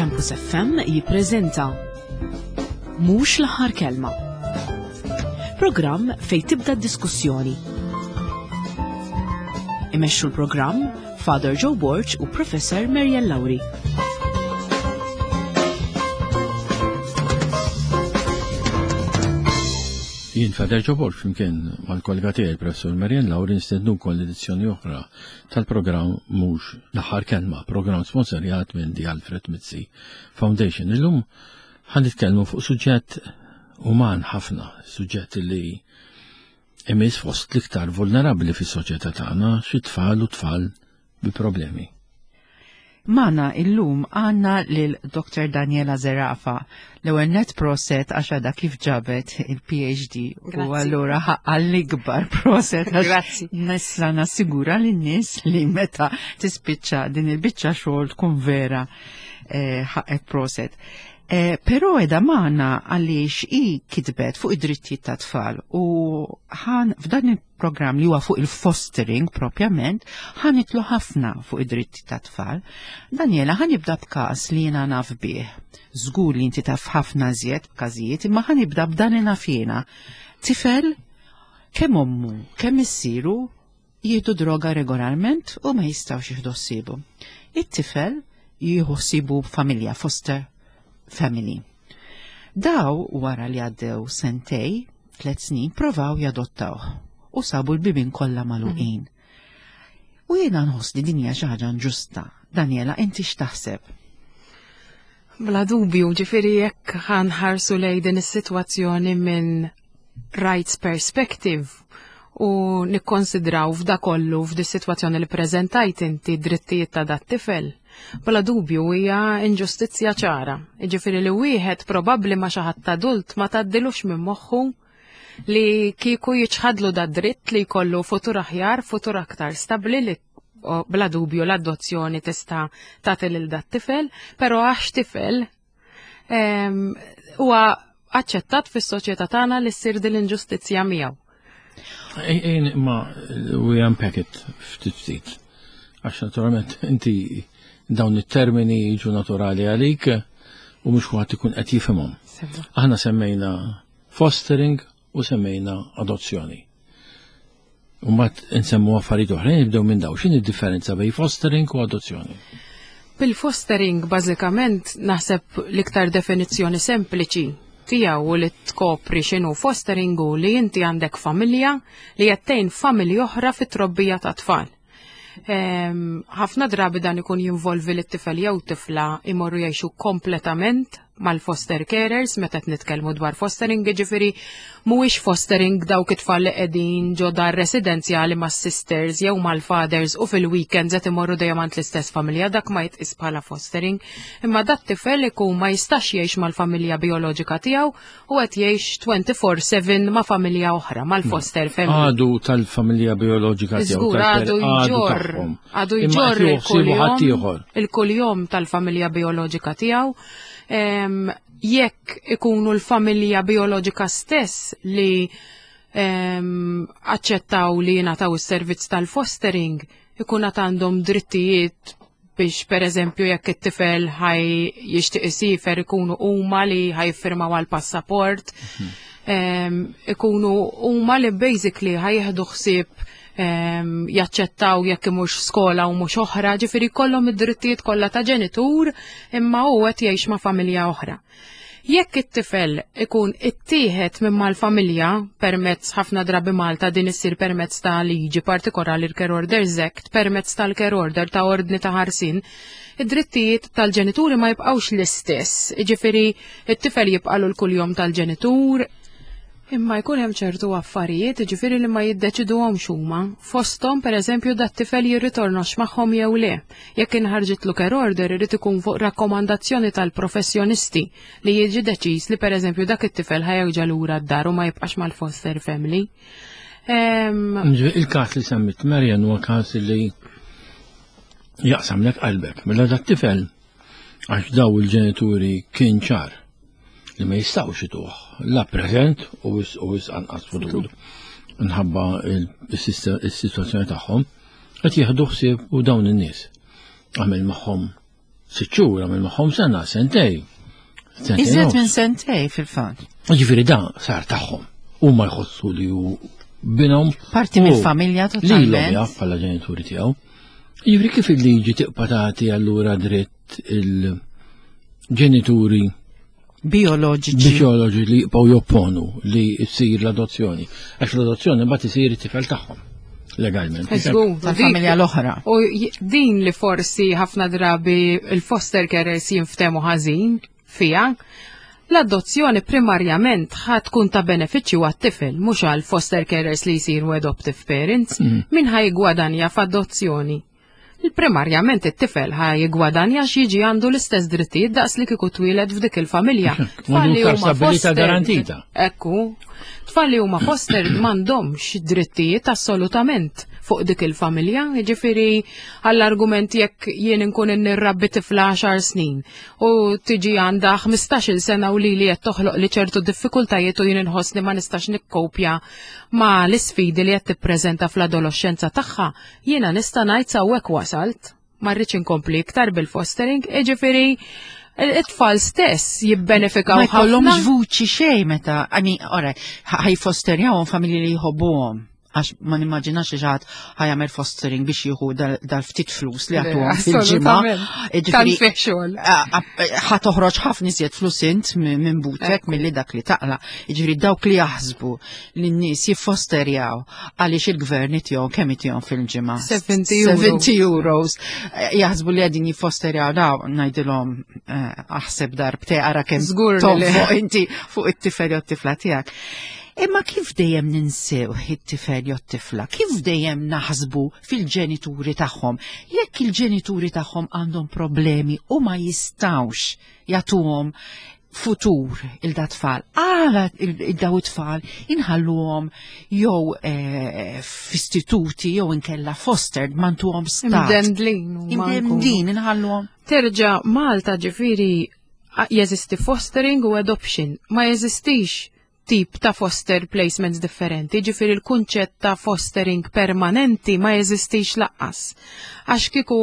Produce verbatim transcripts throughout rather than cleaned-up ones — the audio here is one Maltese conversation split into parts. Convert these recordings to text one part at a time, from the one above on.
Campus F M jippreżenta Mhux l-aħħar kelma. Programm fej tibda d-diskussjoni. Imexxu l-programm Father Joe Borg u Professor Marian Lauri. Jien Father Joe Borg flimkien mal-kollega tiegħi, Professor Marian Lauri, nistednukom l-edizzjoni oħra tal-programm Mhux l-aħħar kelma, programm sponsorjat minn The Alfred Mizzi Foundation. Illum ħa nitkellmu fuq suġġett uman ħafna, suġġett li imiss fost l-iktar vulnerabbli fis-soċjetà tagħna, xi tfal u tfal bi problemi. Magħna illum għandna lil Doktor Daniela Zerafa. L-ewwel net proset għax għadha kif ġabet il-P H D u allura ħaqqa l-ikbar proset għax Grazzi. nista' nassigura lin-nies li meta tispiċċa din il-biċċa xogħol tkun vera eh, ħaqek proset. Eh, però qiegħda magħna għaliex i kitbet fuq id-drittijiet ta' tfal u ħan f'dan il-programm li huwa fuq il-fostering propjament ħa nidħlu ħafna fuq id-dritti ta' tfal. Daniela, ħa nibda b'każ li jiena naf bih. Żgur li inti taf ħafna żjed b'każijiet, imma ħa nibda b'dan li naf jiena. Tifel kemm ommu, kemm missieru jieħdu droga regolarment u ma jistgħux jieħdu ħsiebu. It-tifel jieħu ħsiebu familja, foster family. Daw wara li għaddew sentej, tlet snin, provaw jadottaw u sabu l-bibin kollha magħluqin. U jiena nħoss li din hija xi ħaġa inġusta. Daniela, inti x'taħseb? Bla dubju, ġifieri jekk ħa nħarsu lej din is-sitwazzjoni minn rights perspective u nikkonsidraw f'da kollu f'di sitwazzjoni li preżentajt inti drittijiet ta' dat tifel, bla dubju hija inġustizzja ċara. Ġifieri li wieħed probabbli ma xi ħadd adult ma tgħaddilux minn moħħu li kieku jiċħadlu da dritt li jkollu futur aħjar, futur aktar stabli li o, bla dubju l-adozzjoni tista' tagħti lil dat tifel, però għax tifel em, huwa aċċettat fis-soċjetà tagħna li ssir din l-inġustizzja miegħu. Ejn ma we unpack it ftit ftit. Għax naturalment inti dawn it-termini jiġu naturali għalik u mhux kulħadd ikun qed jifhimhom. Aħna semmejna fostering u semmejna adozzjoni. U mbagħad insemmu affarijiet oħrajn, nibdew minn daw. X'inhi d-differenza bejn fostering u adozzjoni? Bil-fostering bażikament naħseb l-iktar definizzjoni sempliċi tiegħu u li tkopri x'inhu fostering u li inti għandek familja li qed tgħin familja oħra fit-trobbija ta' tfal. Em, Ħafna drabi dan ikun jinvolvi li t-tifel jew tifla imorru jgħixu kompletament mal-foster carers meta qed nitkellmu dwar fostering, jiġifieri mhuwiex fostering dawk it-tfal li qegħdin ġo dar residenzjali mas-sisters jew mal-fathers u fil-weekends qed imorru dejjem għand l-istess familja, dak ma jitqis bħala fostering. Imma dat tifel ikun ma jistax jgħix mal-familja bioloġika tiegħu u qed jgħix twenty-four seven ma' familja oħra, mal-foster family. Għadu tal-familja bioloġika tiegħu. Żgur, tal-per- għadu għadu jġorr, tagħhom. Għadu Imma jġorr qed jieħu ħaddieħor. il-kuljom tal-familja bioloġika tiegħu. Em, Jekk ikunu l-familja bioloġika stess li em, aċċettaw li jingħataw is-servizz tal-fostering, ikun għad għandhom drittijiet biex per eżempju jekk it-tifel ħaj jixtieq isifer ikunu huma li ħa jiffirmaw għal passaport, em, ikunu huma li basically ħa jieħdu ħsieb em, jaċċettaw jekk imurx skola u mhux oħra, ġifieri kollhom id-drittijiet kollha ta' ġenitur imma hu qed jgħix ma' familja oħra. Jekk it-tifel ikun ittieħed minn mal-familja permezz, ħafna drabi Malta din issir permezz ta' liġi partikolari, l-Care Orders Act, permezz tal-care order, ta' ordni ta' ħarsin, id-drittijiet tal-ġenituri ma jibqgħux l-istess. Ġifieri it-tifel jibqalu l-kuljom tal-ġenitur, imma jkun hemm ċertu affarijiet, ġifieri li ma jiddeċiduhomx huma. Fosthom, pereżempju, dat tifel jirritornax magħhom jew le. Jekk inħarġitlu care order, irid ikun fuq rakkomandazzjoni tal-professjonisti li jiġi deċiż li pereżempju dak it-tifel ħa jerġa' lura d-dar u ma jibqax mal-foster family. Em, Il-każ li semmit Marian huwa każ li jaqsamlek qalbek. Mela dat tifel, għax daw il-ġenituri kien ċar li ma jistgħux ituh la preżent u wis u wis anqas futur. Minħabba il-sitwazzjoni tagħhom qed jieħdu ħsieb u dawn in-nies. Għamel magħhom Sitt xhur, għamel magħhom sena, sentej. Sentejn Iżjed nofs. minn sentej fil-fatt. Ġifieri dan sar tagħhom. Huma jħossu li hu binhom. Parti u mill-familja Lilhom totalment. jaf bħala ġenituri tiegħu. Ġifieri kif il-liġi tibqa' tagħti allura dritt il-ġenituri Bioloġiċi. bioloġi li jibqgħu jopponu li jsir l-adozzjoni. Għax l-adozzjoni mbagħad isir it-tifel tagħhom legalment. Żgur, Tal-familja dik- l-oħra. U j- din li forsi ħafna drabi il-foster carers jinftemu ħażin fija, l-adozzjoni primarjament ħa tkun ta' benefiċċju għat-tifel, mhux għal foster carers li jsiru adoptive parents, min ħa jigwadanja f'adozzjoni. Il-primarjament it-tifel ħa jigwadanja x'jiġi għandu l-istess drittijiet daqs li kieku twieled f'dik il-familja. Tfal li Għandu huma stabilità fostered- garantita. Ekku, tfal li huma fostered m'għandhomx drittijiet assolutament fuq dik il-familja, jiġifieri għall-argument jekk jien inkun nirrabbi tifla għaxar snin u tiġi għandha ħmistax-il sena u li li qed toħloq li ċertu diffikultajiet u jien inħossni ma nistax nikkopja ma l-isfidi li qed tippreżenta fl-adolescenza tagħha, jiena nista' ngħid sawwek wasalt, ma rridx inkompli iktar bil-fostering, jiġifieri it-tfal stess jibbenefikaw Ma jkollhomx ħafna. vuċi xejn meta, I mean, ora, ħa jfosterjawhom familji li jħobbuhom. Għax ma nimmaġinax li xi ħadd ħa jagħmel fostering biex jieħu dal- dal-ftit flus li għatuhom fil-ġimgħa. Assolutament. Jiġifieri, Tant fih xogħol. a- a- ħa toħroġ ħafna iżjed flus int minn minn butek Ekku. milli dak li taqla. Jiġifieri dawk li jaħsbu li n-nies jiffosterjaw għaliex il-gvern itihom kemm itihom fil-ġimgħa. seventy euro. seventy euros. Eh, Jaħsbu li qegħdin jiffosterjaw daw ngħidilhom eh, aħseb darbtejn ara kemm Żgur li le. tonfoq inti fuq it-tifel jew t-tifla tiegħek. Imma kif dejjem ninsew it-tifel jew t-tifla? Kif dejjem naħsbu fil-ġenituri tagħhom? Jekk il-ġenituri tagħhom għandhom problemi u ma jistawx jagħtuhom futur lil dat-tfal, għala il-daw it-tfal inħalluhom jew eh, f'istituti jew inkella fostered ma ntuhom stat. Imdendlin. u ma nkunu. Imdendlin inħalluhom. Terġa' Malta ġifieri a- jeżisti fostering u adoption, ma jeżistix tip ta' foster placements differenti, ġifieri il-kunċett ta' fostering permanenti ma jeżistix lanqas. Għax kieku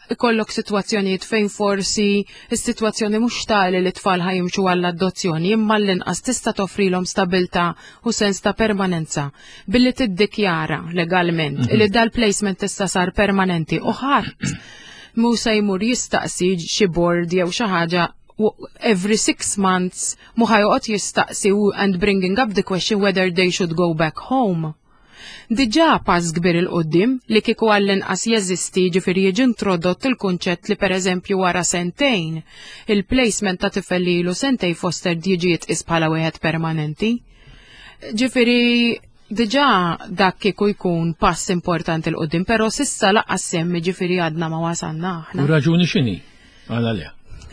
ikollok situazzjonijiet fejn forsi is-sitwazzjoni mhux tali li tfal ħa jimxu għall-adozzjoni, imma l-inqas tista' toffrilhom stabilta u sens ta' permanenza billi tiddikjara legalment li dal-placement tista' sar permanenti u ħadd mhu se jmur jistaqsi xi board jew xi ħaġa w- every six months mhu ħa joqgħod jistaqsi u and bringing up the question whether they should go back home. Diġà pass kbir 'il quddiem li kieku għall-inqas jeżisti ġifieri jiġi introdott il-kunċett li pereżempju wara sentejn il-placement ta' tifel li ilu sentej foster jiġi jitqis bħala wieħed permanenti. Ġifieri diġà dak kieku jkun pass importanti 'l quddiem, però s'issa lanqas semmi ġifieri għadna ma wasalna aħna. U raġuni x'inhi? Għala le.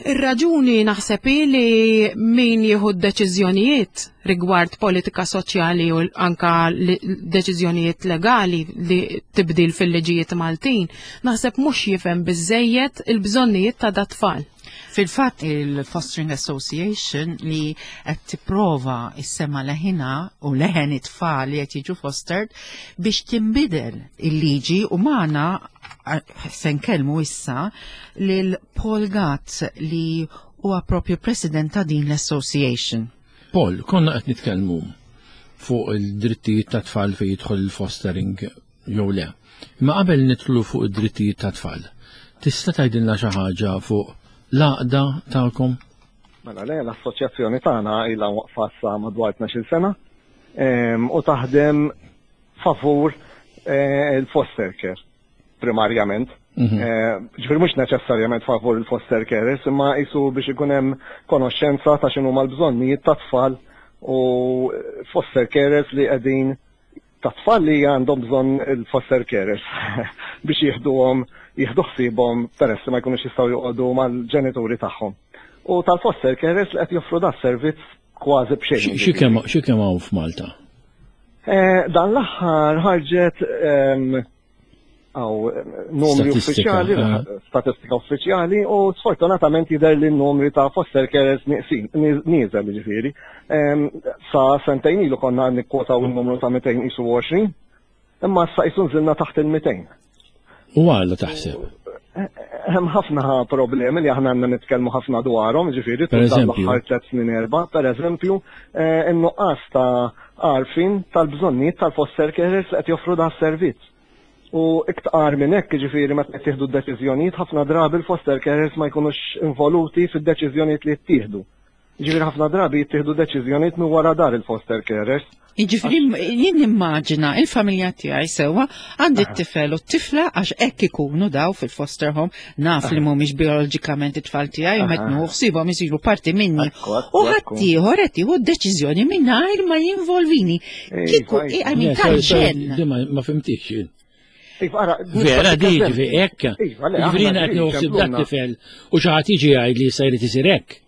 Ir-raġuni naħseb hi li min jieħu d-deċiżjonijiet rigward politika soċjali u anka li- deċiżjonijiet legali li tibdil fil-liġijiet Maltin, naħseb mhux jifhem biżejjed il-bżonnijiet ta' dat-tfal. Fil-fatt il-Fostering Association li qed tipprova issemma leħina u leħen it-tfal li qed jiġu fostered biex tinbidel il-liġi u magħna se nkellmu issa lil Paul Gatt li huwa propju president ta' din l-association. Paul, konna qed nitkellmu fuq il-drittijiet ta' tfal fejn jidħol il-fostering jew le. Imma qabel nidħlu fuq id-drittijiet ta' tfal, tista' tgħidilna xi ħaġa fuq l-għaqda tagħkom? Mela le, l-assoċjazzjoni tagħna ilha waqfa sa madwar tnax-il sena em, u taħdem favur eh, il-foster care primarjament. Mhm. Eh, Ġifieri mhux neċessarjament favur il-foster carers, imma jisu biex ikun hemm konoxxenza ta' x'inhu l-bżonnijiet ta' tfal u foster carers li qegħdin ta' tfal li għandhom bżonn il-foster carers biex jieħduhom jieħdu ħsiebhom peress li ma jkunux jistgħu joqogħdu mal-ġenituri tagħhom. U tal-foster carers li qed joffru da servizz kważi b'xejn. Xi kemm xi kemm hawn f'Malta? Eh, Dan l-aħħar ħarġet em, għaw numri Statistika, uffiċjali, eh. statistika uffiċjali u sfortunatament jidher li n-numri ta' foster carers nieqsin, nieżel ġifieri. Em, Sa sentejn ilu konna nikkwotaw il-numru ta' mitejn u għoxrin, imma sa jisun nżilna taħt il-mitejn. U għala taħseb? Hemm ħafna problemi li aħna għandna nitkellmu ħafna dwarhom, ġifieri tul dan l-aħħar tliet snin erba', pereżempju, in-nuqqas ta' għarfien tal-bżonnijiet tal-foster carers li qed joffru dan is-servizz. U iktar minn hekk, ġifieri meta qed tieħdu d-deċiżjonijiet, ħafna drabi l-foster carers ma jkunux involuti fid-deċiżjonijiet li jittieħdu. Ġifieri ħafna drabi jittieħdu deċiżjonijiet minn wara dar il-foster carers. Jiġifieri jien nimmaġina il-familja tiegħi sewwa, għandi t-tifel u t-tifla, għax hekk ikunu daw fil-foster home, naf li mhumiex bioloġikament it-tfal tiegħi u meta nieħu ħsiebhom isiru parti minni. U ħaddieħor qed jieħu d-deċiżjoni mingħajr ma jinvolvini. Kieku I mean tal-ġenn. Ma fhimtix. Vera di ġifi hekk. Ġifieri qed nieħu ħsieb dat-tifel u xi ħadd jiġi jgħid li se jrid isir hekk.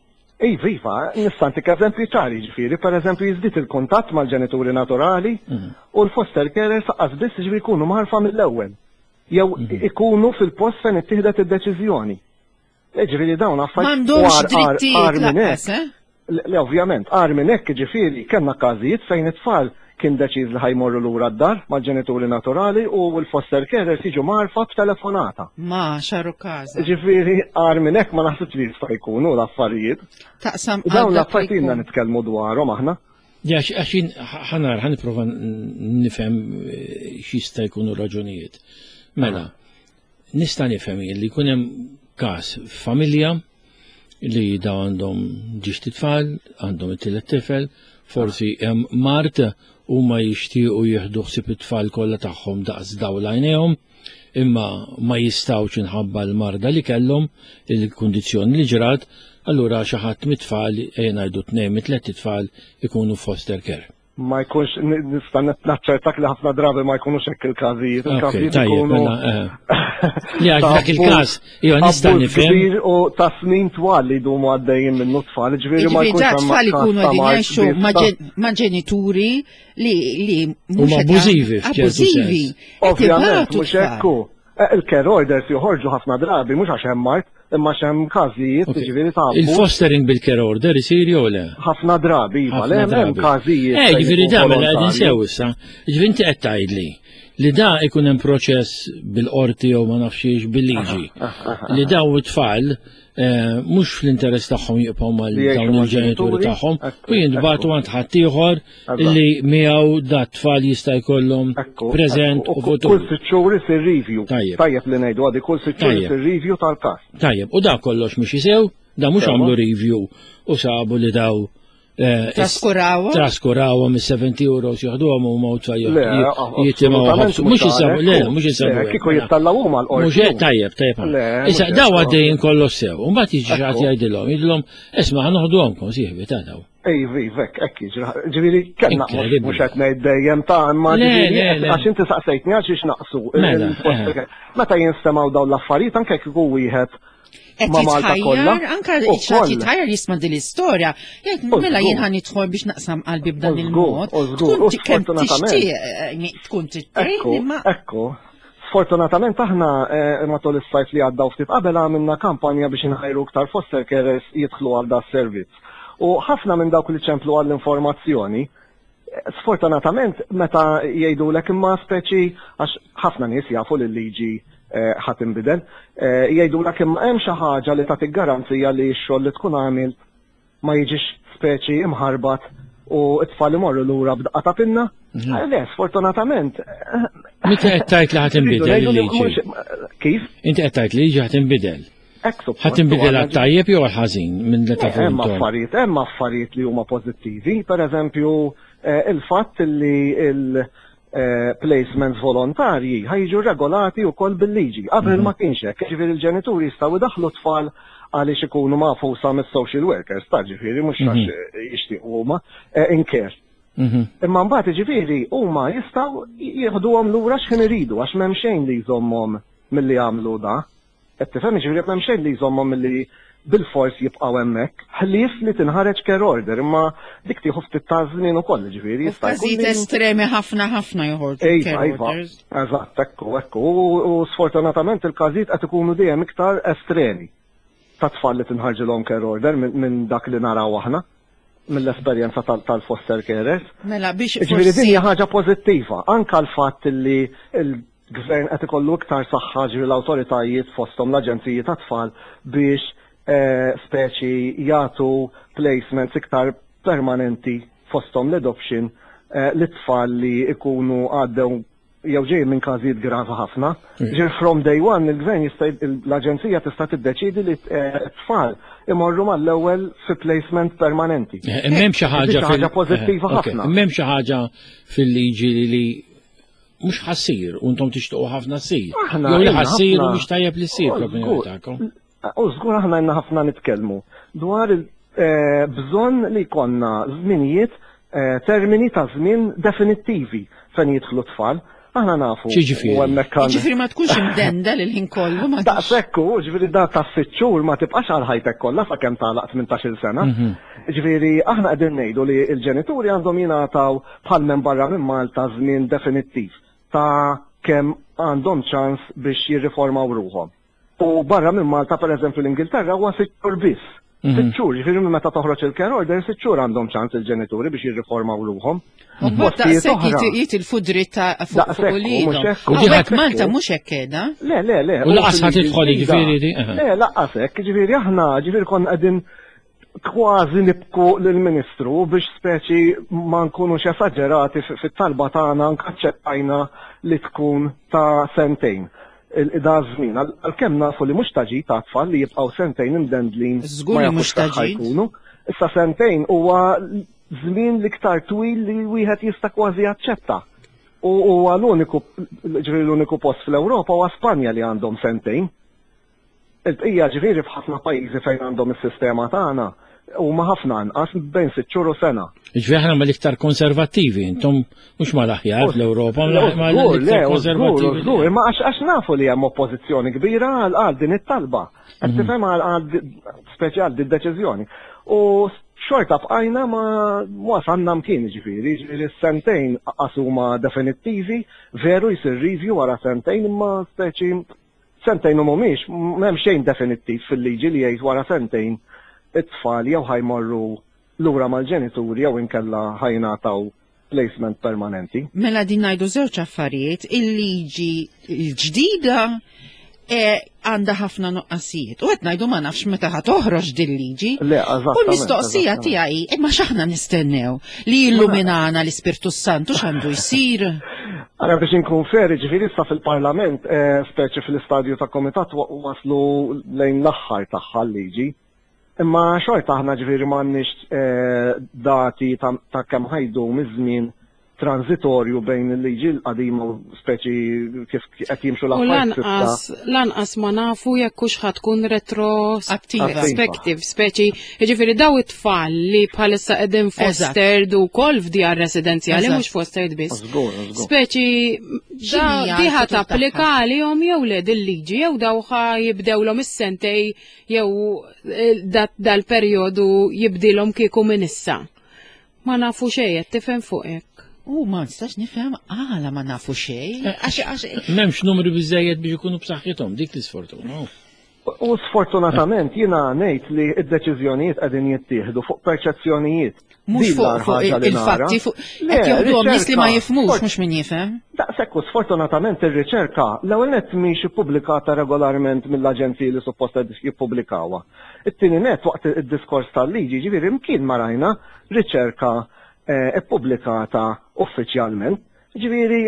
Iva, iva, nista' ntik eżempju ċari, ġifieri, per eżempju jiżdied il-kuntatt mal-ġenituri naturali u l-foster carers lanqas biss ġifieri jkunu mgħarrfa mill-ewwel. Jew ikunu fil-post fejn ittieħdet id-deċiżjoni. Ġifieri dawn affarijiet. M'għandhomx drittijiet lanqas, eh? Le, ovvjament, agħar minn hekk, ġifieri, kellna każijiet fejn it-tfal kien deċiż li ħa jmorru lura d-dar mal-ġenituri naturali u l-foster carers jiġu mgħarrfa b'telefonata. Ma xaru każa. Ġifieri, agħar minn hekk ma naħsibx li jista' jkunu l-affarijiet. Taqsam. Dawn l-affarijiet ilna nitkellmu dwarhom aħna. Ja, għaxin ħanar, ħa nipprova nifhem x'jista' jkunu raġunijiet. Mela, nista' nifhem li jkun hemm każ familja li da għandhom żewġt itfal, għandhom it-tielet tifel, forsi hemm mard u ma jixtiequ jieħdu ħsieb it-tfal kollha tagħhom daqs dawl għajnejhom, imma ma jistgħux minħabba l-marda li kellhom, il-kundizzjoni li ġrat, allura xi ħadd mit-tfal, ejja ngħidu tnejn mit-tliet tfal, ikunu foster care. Ma jkunx, nista' naċċertak li ħafna drabi ma jkunux hekk il-każijiet. Il-każijiet ikunu. Li għax dak il-każ, iva, nista' nifhem. U ta' snin twal li jdumu għaddejjin minnu tfal, ġifieri ma jkunx hemm tfal ikunu qegħdin jgħixu ma' ġenituri li li mhux abbużivi. Abbużivi. Ovvjament, mhux hekk. Il-care orders joħorġu ħafna drabi mhux għax hemm mard, imma x'hemm każijiet, ġifieri ta' Il-fostering bil-care order isir jew le? Ħafna drabi, iva, le hemm każijiet. Eh, ġifieri da mela qegħdin sew issa. Ġifieri inti qed tgħidli li da ikun hemm proċess bil-qorti jew ma nafx bil-liġi li daw it-tfal mhux fl-interess tagħhom jibqgħu mal dawn il-ġenituri tagħhom u jintbagħtu għand ħaddieħor li miegħu da tfal jista' jkollhom preżent u futur. Kull sitt xhur isir review. Tajjeb li ngħidu għadi, kull sitt xhur isir review tal-każ. Tajjeb, u da kollox mhux jisew, da mhux għamlu review u sabu li daw Traskurawhom? Traskurawhom is-seventy euros jaħduhom u ma jitimgħu ħabsu. Mhux jisabu, le, mhux jisabu. Kieku jittallaw huma l-qorti. Mhux tajjeb, tajjeb. Issa daw għaddejjin kollox sew. U mbagħad jiġi xi ħadd jgħidilhom, jgħidilhom, isma' ħa noħduhomkom sieħbi ta' daw. Ej, vek, ekk jiġri. Ġifieri kellna mhux qed ngħid dejjem ta' imma ġifieri għax inti saqsejtni għal xiex naqsu. Meta jinstemgħu dawn l-affarijiet, anke kieku wieħed qed jitħajjar, anka xi ħadd jitħajjar jisma' din l-istorja. Jgħid, mela jien ħa nidħol biex naqsam qalbi b'dan il-mod. Tkun kemm tixtieq tkun trid imma. Ekku. Sfortunatament aħna matul is-sajf li għadda u ftit qabel għamilna kampanja biex inħajru iktar foster carers jidħlu għal da servizz. U ħafna minn dawk li ċemplu għall-informazzjoni, sfortunatament meta jgħidulek imma speċi għax ħafna nies jafu li l-liġi ħa tinbidel, jgħidulek imma hemm xi ħaġa li tagħtik garanzija li x-xogħol li tkun għamilt ma jiġix speċi imħarbat u t-tfal imorru lura b'daqqa ta' pinna? Le, sfortunatament. Meta qed tgħid li ħa tinbidel il-liġi? Kif? Inti qed tgħid li liġi ħa tinbidel. Ħa tinbidel għat-tajjeb jew għal-ħażin minn li taf? Hemm affarijiet, hemm affarijiet li huma pożittivi, per eżempju il-fatt li il- placements volontarji ħa jiġu regolati wkoll bil-liġi. Qabel ma kienx hekk, ġifieri il-ġenituri jistgħu jdaħħlu tfal għaliex ikunu magħfusa mis-social workers, ta' ġifieri mhux għax jixtiequ huma in care. Imma mbagħad ġifieri huma jistgħu jieħduhom lura x'ħin iridu għax m'hemm xejn li jżommhom milli jagħmlu da. Qed tifhem, ġifieri m'hemm xejn li jżommhom milli bil-fors jibqgħu hemmhekk, ħlief li tinħareġ care order, imma dik tieħu ftit ta' żmien ukoll, ġifieri jista' jkun. Każijiet estremi ħafna ħafna joħorġu care orders. Eżatt, ekku, ekku. U sfortunatament il-każijiet qed ikunu dejjem iktar estremi ta' tfal li tinħarġilhom care order minn dak li naraw aħna mill-esperjenza tal-foster carers. Mela biex Ġifieri din hija ħaġa pożittiva, anka l-fatt li il-gvern qed ikollu iktar saħħa, ġifieri l-awtoritajiet fosthom l-aġenziji ta' tfal biex eh, speċi jagħtu placements iktar permanenti fosthom l-adoption eh, l-tfal li ikunu għaddew jew ġej minn każijiet gravi ħafna. Ġifieri from day one il-gvern jista' l-aġenzija tista' tiddeċidi li eh, t-tfal imorru mal-ewwel fi placement permanenti. M'hemm xi ħaġa Xi ħaġa pożittiva eh, ok. ħafna. M'hemm xi ħaġa fil-liġi li li mhux ħa ssir u intom tixtuqu ħafna ssir. Aħna Jew li ilna ħa ssir u ħafna- mhux tajjeb li ssir Oh, fl-opinjoni żgur. tagħkom. U żgur aħna għandna ħafna nitkellmu dwar il-bżonn li jkollna żminijiet, eh, termini ta' żmien definittivi fejn jidħlu tfal. Aħna nafu. X'jiġifieri? u hemmhekk għandna- Ġifieri ma tkunx imdendel il-ħin kollu ma Daqshekk hu, ġifieri da ta' sitt xhur ma tibqax għal ħajtek kollha sakemm tagħlaq tmintax-il sena. Ġifieri aħna qegħdin ngħidu li l-ġenituri għandhom jingħataw bħal minn barra minn Malta żmien definittiv ta' kemm għandhom ċans biex jirriformaw ruħhom. U barra minn Malta, per eżempju, l-Ingilterra huwa sitt xhur biss. Sitt xhur, ġifieri minn meta toħroġ il-care order, sitt xhur għandhom ċans il-ġenituri biex jirriformaw ruħhom. U mbagħad Postijiet daqshekk oħra. jit- jitilfu dritt ta' fuq Daqshekk, fuq u uliedhom. mhux hekk, U Hawnhekk ħadd- Malta mhux hekk qiegħda. Le, le, le. U lanqas ħa fil-liġi tidħol, ġdida. jiġifieri di- aha. Le, lanqas hekk, ġifieri aħna, ġifieri konna qegħdin kważi nibku lill-Ministru biex speċi ma nkunux esaġerati fi- fit-talba tagħna anke aċċettajna li tkun ta' sentejn. Il- Da żmien, għal- għalkemm nafu li mhux ta' ġid ta' tfal li jibqgħu sentejn imdendlin Żgur ma li jafux mhux ta' fejn ġid. ħajkunu. Issa sentejn huwa żmien l-iktar twil li wieħed jista' kważi jaċċetta. U huwa l-uniku ġifieri l-uniku post fl-Ewropa huwa Spanja li għandhom sentejn. Il-bqija ġifieri f'ħafna pajjiżi fejn għandhom is-sistema tagħna huma ħafna anqas bejn sitt xhur u sena. Ġifieri aħna mal-iktar konservattivi, intom mhux mal-aħjar fl-Ewropa, Le, ma żgur, l-iktar le, żgur, konservattivi. żgur, imma għax għax nafu li hemm oppożizzjoni kbira għal għal din it-talba. Qed tifhem għal għal speċi għal din deċiżjoni. U xorta bqajna ma wasalna mkien ġifieri, ġifieri s-sentejn huma definittivi, veru jsir review wara sentejn imma speċi sentejn u mhumiex, m'hemm xejn definittiv fil-liġi li jgħid wara sentejn it-tfal jew ħa jmorru lura mal-ġenituri jew inkella ħa jingħataw placement permanenti. Mela din ngħidu żewġ affarijiet, il-liġi l-ġdida e, għandha ħafna nuqqasijiet. U qed ngħidu ma nafx meta ħa toħroġ din liġi. Le, U eżattament, l-mistoqsija eżattament. tiegħi, imma x'aħna nistennew li jilluminana l-Ispirtu Santu x'għandu jsir? Ara biex inkun fair, ġifieri issa fil-parlament, eh, speċi fil-istadju ta' komitat wa- waslu lejn l-aħħar tagħha l-liġi. Imma xorta aħna ġifieri m'għandniex eh, dati ta' ta' kemm ħa jdum iż-żmien transitorju bejn il-liġi l-qadima u speċi kif qed jimxu U l-affarijiet lanqas, lanqas ma nafu jekk hux ħa tkun retrospective, speċi, jiġifieri daw it-tfal li bħalissa qegħdin fostered ukoll f'djar residenzjali, Eżatt. mhux fostered biss. Żgur, żgur. Speċi, da X'inhi di ħa l-futur tapplika għalihom jew le dil-liġi, jew daw ħa jibdewlhom is-sentejn jew eh, da- dal-perjodu jibdilhom kieku minn issa. Ma nafu xejn, qed tifhem fuq hekk. U ma nistax nifhem għala ma nafu xejn. Għax għax M'hemmx numri biżejjed biex ikunu b'saħħithom, dik l-isfortuna. U sfortunatament jiena ngħid li d-deċiżjonijiet qegħdin jittieħdu fuq perċezzjonijiet. mhux Din fuq l-agħar fuq ħaġa li nara. il-fatti fuq Le, qed joħduhom nies li ma riċerka. jifhmux Sfort- mhux min jifhem. Daqshekk u sfortunatament ir-riċerka l-ewwel nett mhix ippubblikata regolarment mill-aġenziji li suppost qed jippubblikawha. It-tieni nett waqt id-diskors tal-liġi ġifieri mkien ma rajna riċerka eh, ippubblikata uffiċjalment. Ġifieri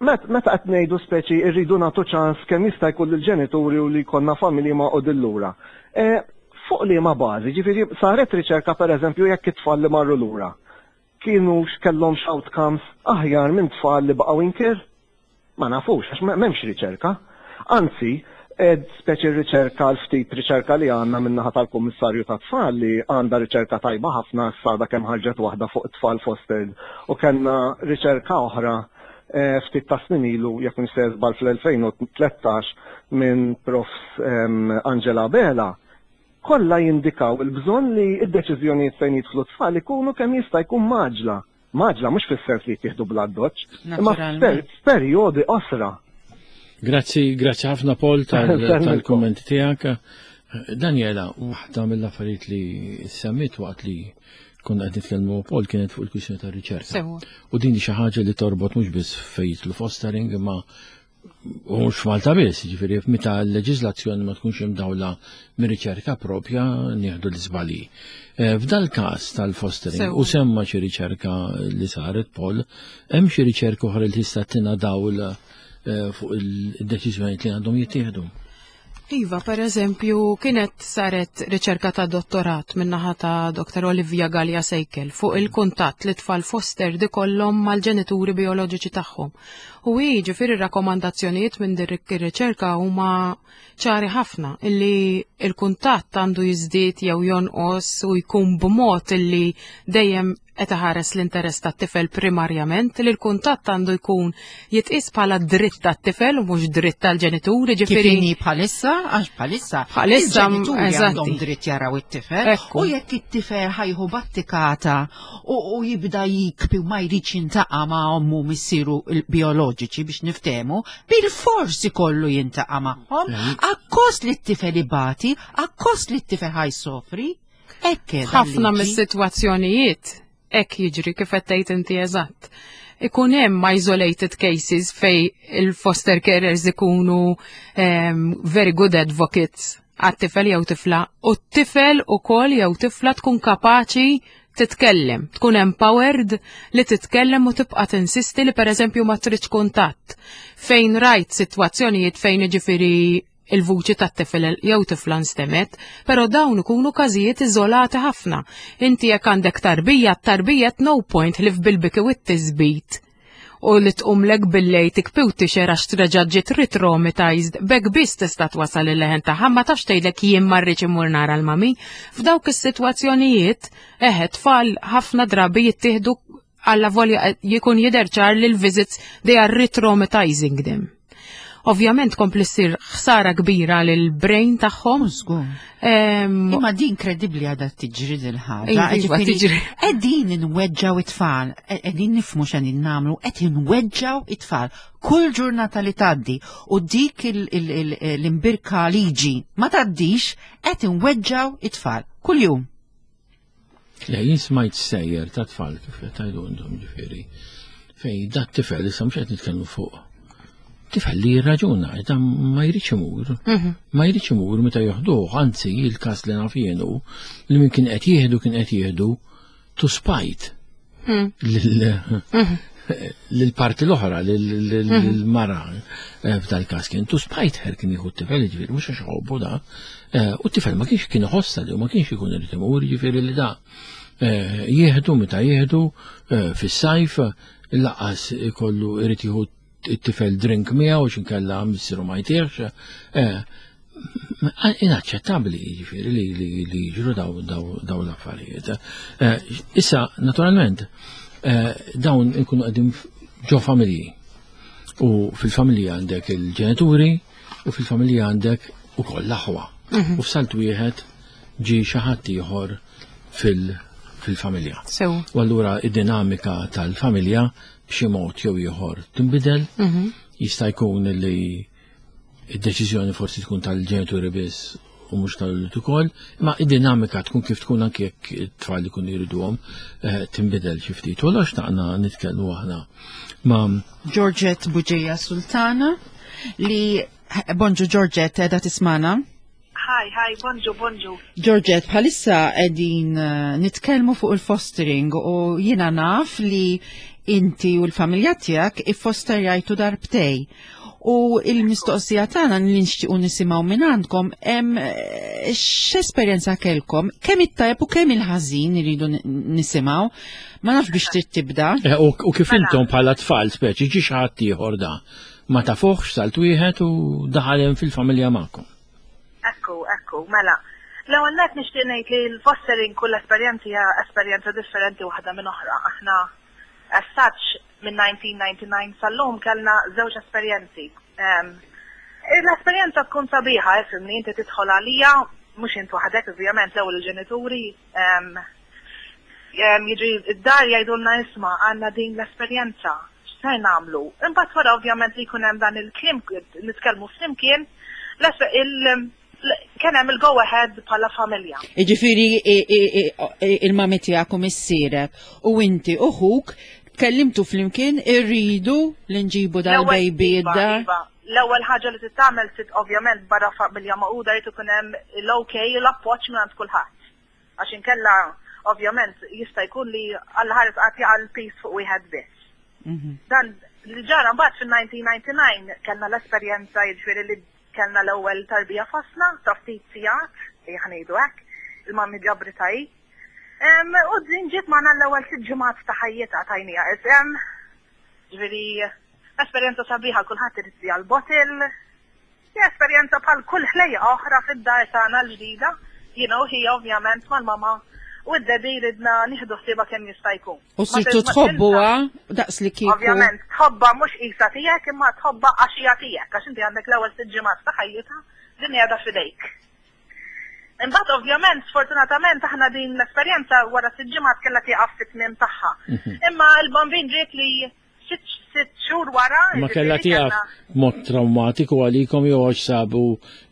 met- meta qed ngħidu speċi rridu nagħtu ċans kemm jista' jkun lill-ġenituri u li jkollna familji magħqudin lura. Eh, Fuq liema bażi, ġifieri saret riċerka pereżempju jekk it-tfal li marru lura kienu kellhom outcomes aħjar minn tfal li baqgħu in care? Ma nafux, għax m'hemmx riċerka. Anzi, ed speċi riċerka l-ftit riċerka li għandna min-naħa tal-Kummissarju ta' tfal li għandha riċerka tajba ħafna s-sada kemm ħarġet waħda fuq it-tfal fostered u kellna riċerka oħra eh, ftit ta' snin ilu jekk nistgħu żball fl-elfejn u tlettax minn Profs em, Angela Bela kollha jindikaw il-bżonn li id-deċiżjonijiet fejn jidħlu tfal ikunu kemm jista' jkun mgħaġġla. Mgħaġġla mhux fis-sens li jittieħdu bl-addoċċ, imma Naturalment. f'perjodi qosra. Grazzi, grazzi ħafna Paul tal- Sellmilkom. tal-kommenti tiegħek. Daniela, waħda mill-affarijiet li semmit waqt li konna qed nitkellmu Paul kienet fuq il-kwistjoni tar-riċerka. Sewwa. U din xi ħaġa li torbot mhux biss fejn jidħlu fostering imma U mhux f'Malta biss, jiġifieri meta l-leġiżlazzjoni ma tkunx imdawla mir-riċerka propja nieħdu l-iżbalji. Eh, f'dal każ tal-fostering u semma xi riċerka li saret Paul, hemm xi riċerka oħra li tista' tina dawl eh, fuq il-deċiżjonijiet li għandhom jittieħdu. Iva, per eżempju, kienet saret riċerka ta' dottorat minnaħa ta' Dr. Olivia Gallia Sejkel fuq il-kuntatt li tfal foster ikollhom mal-ġenituri bioloġiċi tagħhom. U jiġifieri rakkomandazzjonijiet minn din ir-riċerka huma ċari ħafna illi il-kuntatt għandu jiżdied jew jonqos u jkun b'mod illi dejjem qed iħares l-interess tat-tifel primarjament, li l-kuntatt għandu jkun jitqis bħala dritt tat-tifel u mhux dritt tal-ġenituri, ġifieri. Kif bħalissa, għax bħalissa. Bħalissa il-ġenituri għandhom dritt jaraw it-tifel. U jekk it-tifel ħa jieħu battikata u jibda jikbi u ma jridx jiltaqa' ma' ommu missieru bioloġiċi biex niftehmu, bil-forsi kollu jiltaqa' magħhom, akkost li t-tifel ibati, akkost li t-tifel ħa jsofri. Ħafna mis-sitwazzjonijiet hekk jiġri kif qed tgħid inti eżatt. Ikun hemm isolated cases fej il-foster carers ikunu um, very good advocates għat-tifel jew tifla u t-tifel ukoll jew tifla tkun kapaċi titkellem, tkun empowered li titkellem u tibqa' tinsisti li pereżempju ma tridx kuntatt. Fejn rajt sitwazzjonijiet fejn jiġifieri il-vuċi tat-tifel jew tifla nstemet, pero dawn ikunu każijiet iżolati ħafna. Inti jekk għandek tarbija, tarbija no point li f'bil-biki u t-tisbit u li tqumlek billejl tibki u tixher għax treġa' ġiet re-traumatized, b'hekk biss tista' twasal il-leħen tagħha, ma tafx tgħidlek jien ma rridx immur nara l-mami. F'dawk is-sitwazzjonijiet, eħe, tfal ħafna drabi jittieħdu alla volja jkun jidher ċar li l-visits they are re-traumatizing them. Ovvjament kompli ssir ħsara kbira lil brain tagħhom. Żgur. Em, Imma din kredibbli għadha tiġri din ħaġa. Iva, Ġifieri, tiġri. Qegħdin inweġġaw it-tfal, qegħdin nifhmu x'qegħdin nagħmlu, qed inweġġaw it-tfal. Kull ġurnata li tgħaddi u dik il- il- il- l-imbierka liġi ma tgħaddix, qed inweġġaw it-tfal. Kull jum. Le, jien smajt stejjer ta' tfal kif qed tgħidu intom ġifieri. Fej dat tifel issa mhux qed nitkellmu fuq. Tifel li jirraġuna, da ma jridx imur. Ma jridx imur meta joħduh, anzi il-każ li naf jienu li min kien qed jieħdu kien qed jieħdu to spite lil- lil-parti l-oħra, lil-mara f'dal-każ kien to spite her kien jieħu t-tifel, ġifieri mhux għax ħobbu da. Eh, U t-tifel ma kienx kien iħossa li u ma kienx ikun irid imur, ġifieri li da. eh, Jieħdu meta jieħdu eh, fis-sajf lanqas ikollu irid jieħu it-tifel drink miegħu x'inkella missieru ma jtihx. Eh, Inaċċettabbli ġifieri li li li jiġru daw daw daw l-affarijiet. Eh, Issa, naturalment, eh, dawn ikunu qegħdin ġo familji. U fil-familja għandek il-ġenituri u fil-familja għandek ukoll l-aħwa. U f'salt wieħed ġi xi ħadd ieħor fil- fil-familja. Sew. U allura id-dinamika tal-familja b'xi mod jew ieħor tinbidel, jista' jkun li id-deċiżjoni forsi tkun tal-ġenituri biss u mhux tal-ulied ukoll, imma id-dinamika tkun kif tkun anke jekk it-tfal ikunu jriduhom eh, tinbidel xi ftit. U allura xtaqna nitkellmu aħna ma' Georgette Bugeja Sultana li Bonġu Georgette, qiegħda tismagħna? Hi, hi, bonġu, bonġu. Georgette, bħalissa qegħdin eh, nitkellmu fuq il-fostering u jiena naf li inti u l-familja tiegħek iffosterjajtu darbtejn. U il-mistoqsija tagħna li nixtiequ nisimgħu minn għandkom hemm eh, x'esperjenza kellkom, kemm it-tajjeb u kemm il-ħażin iridu n- nisimgħu. Ma nafx biex trid tibda. Eh, U u kif intom bħala tfal speċi ġi xi ħadd ieħor da ma tafuħx salt wieħed u daħal hemm fil-familja magħkom. Ekku, ekku, mela. L-ewwel nett nixtieq ngħid li l-fostering kull esperjenza hija esperjenza differenti waħda minn oħra. Aħna as such minn elf disa' mija u disgħa u disgħin sal-lum kellna żewġ esperjenzi. Em, L-esperjenza tkun sabiħa, ifhimni, inti tidħol għalija, mhux int waħdek, ovvjament, l-ewwel il-ġenituri, em, em, jiġi id-dar jgħidulna isma' għandna din l-esperjenza, x'ser nagħmlu? Imbagħad wara ovvjament li jkun hemm dan il-kliem nitkellmu flimkien, l- il- l- kien hemm il-go ahead bħala familja. Iġifiri i- i- i- il-mami tiegħek u missierek u inti u ħuk tkellimtu flimkien irridu li nġibu dal-baby L-ewwel- id-dar. Iva, L-ewwel ħaġa li trid tagħmel trid ovvjament barra familja magħquda jrid ikun hemm l-okay, l-appoġġ minn għand kulħadd. Għax inkella ovvjament jista' jkun li Alla ħares qatt jaqa' l-piż fuq wieħed biss. Mhm. Dan li ġara mbagħad fil-elf disa' mija u disgħa u disgħin kellna l-esperjenza, jiġifieri li kellna l-ewwel tarbija fostna ta' ftit sigħat, li ħa ngħidu hekk, il-mummy ġabritha hi. Em, U din ġiet magħna l-ewwel sitt ġimgħat ta' ħajjitha, tajnieha isem. Ġifieri esperjenza sabiħa, kulħadd irid għal-bottle. Hija esperjenza bħal kull ħlejja oħra fid-dar tagħna l-ġdida, you know, hija ovvjament mal-mama u d-daddy, ridna nieħdu ħsiebha kemm jista' jkun. U Ma sirtu ma tħobbuha daqs li kieku. Ovvjament, tħobba mhux qisha tiegħek, imma tħobba għax hija tiegħek, għax inti għandek l-ewwel sitt ġimgħat ta' ħajjitha, din qiegħda f'idejk. Imbagħad ovvjament, sfortunatament, aħna din l-esperjenza wara sitt ġimgħat kellha tieqaf fit-tmiem tagħha. Imma l-bambin ġiet li sitt sitt xhur wara. Ma kellha jiġifieri tiegħek kellna- mod traumatiku għalikom jew għax sabu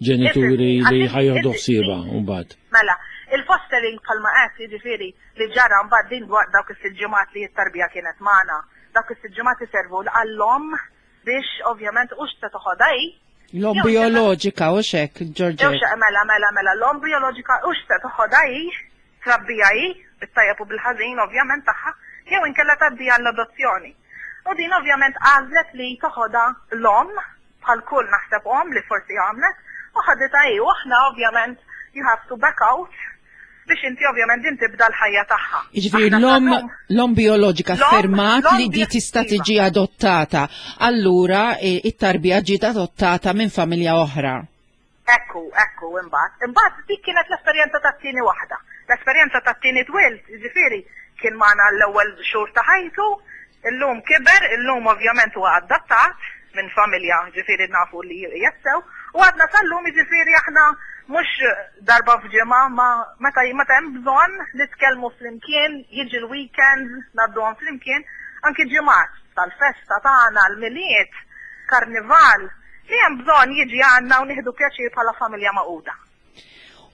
ġenituri Ifhem, li għax ħa jieħdu inti- ħsiebha mbagħad? Mela, il-fostering bħalma qed, jiġifieri li ġara mbagħad din dwar dawk is-sitt ġimgħat li t-tarbija kienet magħna. Dawk is-sitt ġimgħat iservu għall-omm biex ovvjament hux se toħodha hi. L-om Jew bioloġika u xek, Jew Georgette. xe mela mela mela l-omm bioloġika hux se toħodha hi, trabbija hi, bit-tajjeb u bil-ħażin ovvjament tagħha, jew inkella tgħaddi għall-adozzjoni. U din ovvjament għażlet li toħodha l-omm, bħal kull naħseb omm li forsi għamlet, u ħaditha hi, u aħna ovvjament you have to back out biex inti ovvjament din tibda l-ħajja tagħha. Jiġifieri Aħna l-om sal-lum- l-om bioloġika L-om- fermat l-om li di tista' iva. tiġi adottata. Allura eh, it-tarbija ġiet adottata minn familja oħra. Ekku, ekku, imbagħad. Imbagħad dik kienet l-esperjenza tat-tieni waħda. L-esperjenza tat-tieni twilt, jiġifieri kien magħna l-ewwel xhur ta' ħajtu, illum kiber, illum ovvjament huwa adattat minn familja, ġifieri nafu li jessew, u għadna sal-lum, jiġifieri aħna mhux darba f'ġimgħa, ma meta meta hemm bżonn nitkellmu flimkien, jiġi l-weekend, ngħadduhom flimkien, anki ġimgħat tal-festa tagħna, l-Milied, karnival, li hemm bżonn jiġi għandna u nieħdu pjaċir bħala familja magħquda.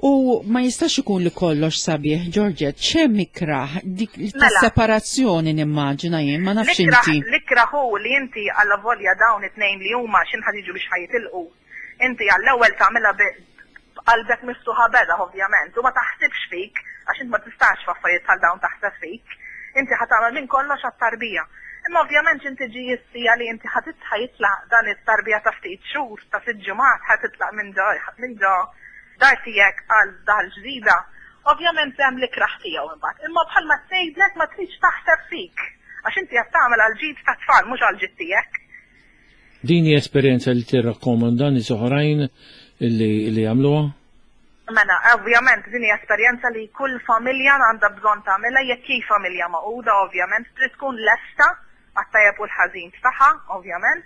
U ma jistax ikun li kollox sabiħ, Georgette, x'hemm ikraħ dik ta' Mela. separazzjoni nimmaġina jien, ma nafx L-ikraħ inti. L-ikraħ hu li inti għalla volja dawn it-tnejn li huma x'inħa jiġu biex ħa jitilqu. Inti għall-ewwel tagħmilha b'qalbek miftuħa beraħ ovvjament u ma taħsibx fik, għax int ma tistax f'affarijiet bħal dawn taħseb fik. Inti ħa tagħmel minn kollox għat-tarbija. Imma ovvjament inti ġi jissija li inti ħa jitlaq dan it-tarbija ta' ftit xhur, ta' sitt ġimgħat, ħa titlaq minn ġo minn ġo dar tiegħek għal dar ġdida. Ovvjament hemm l-ikraħ tiegħu imbagħad. Imma bħalma tgħidlek, ma tridx taħseb fik. Għax inti qed tagħmel għal ġid ta' tfal, mhux għal ġid tiegħek. Din hi esperjenza li tirrakkomanda nies oħrajn li li jagħmluha? Mela, ovvjament din hija esperjenza li kull familja għandha bżonn tagħmilha jekk hi familja magħquda, ovvjament trid tkun lesta għat-tajjeb u l-ħażin tagħha, ovvjament.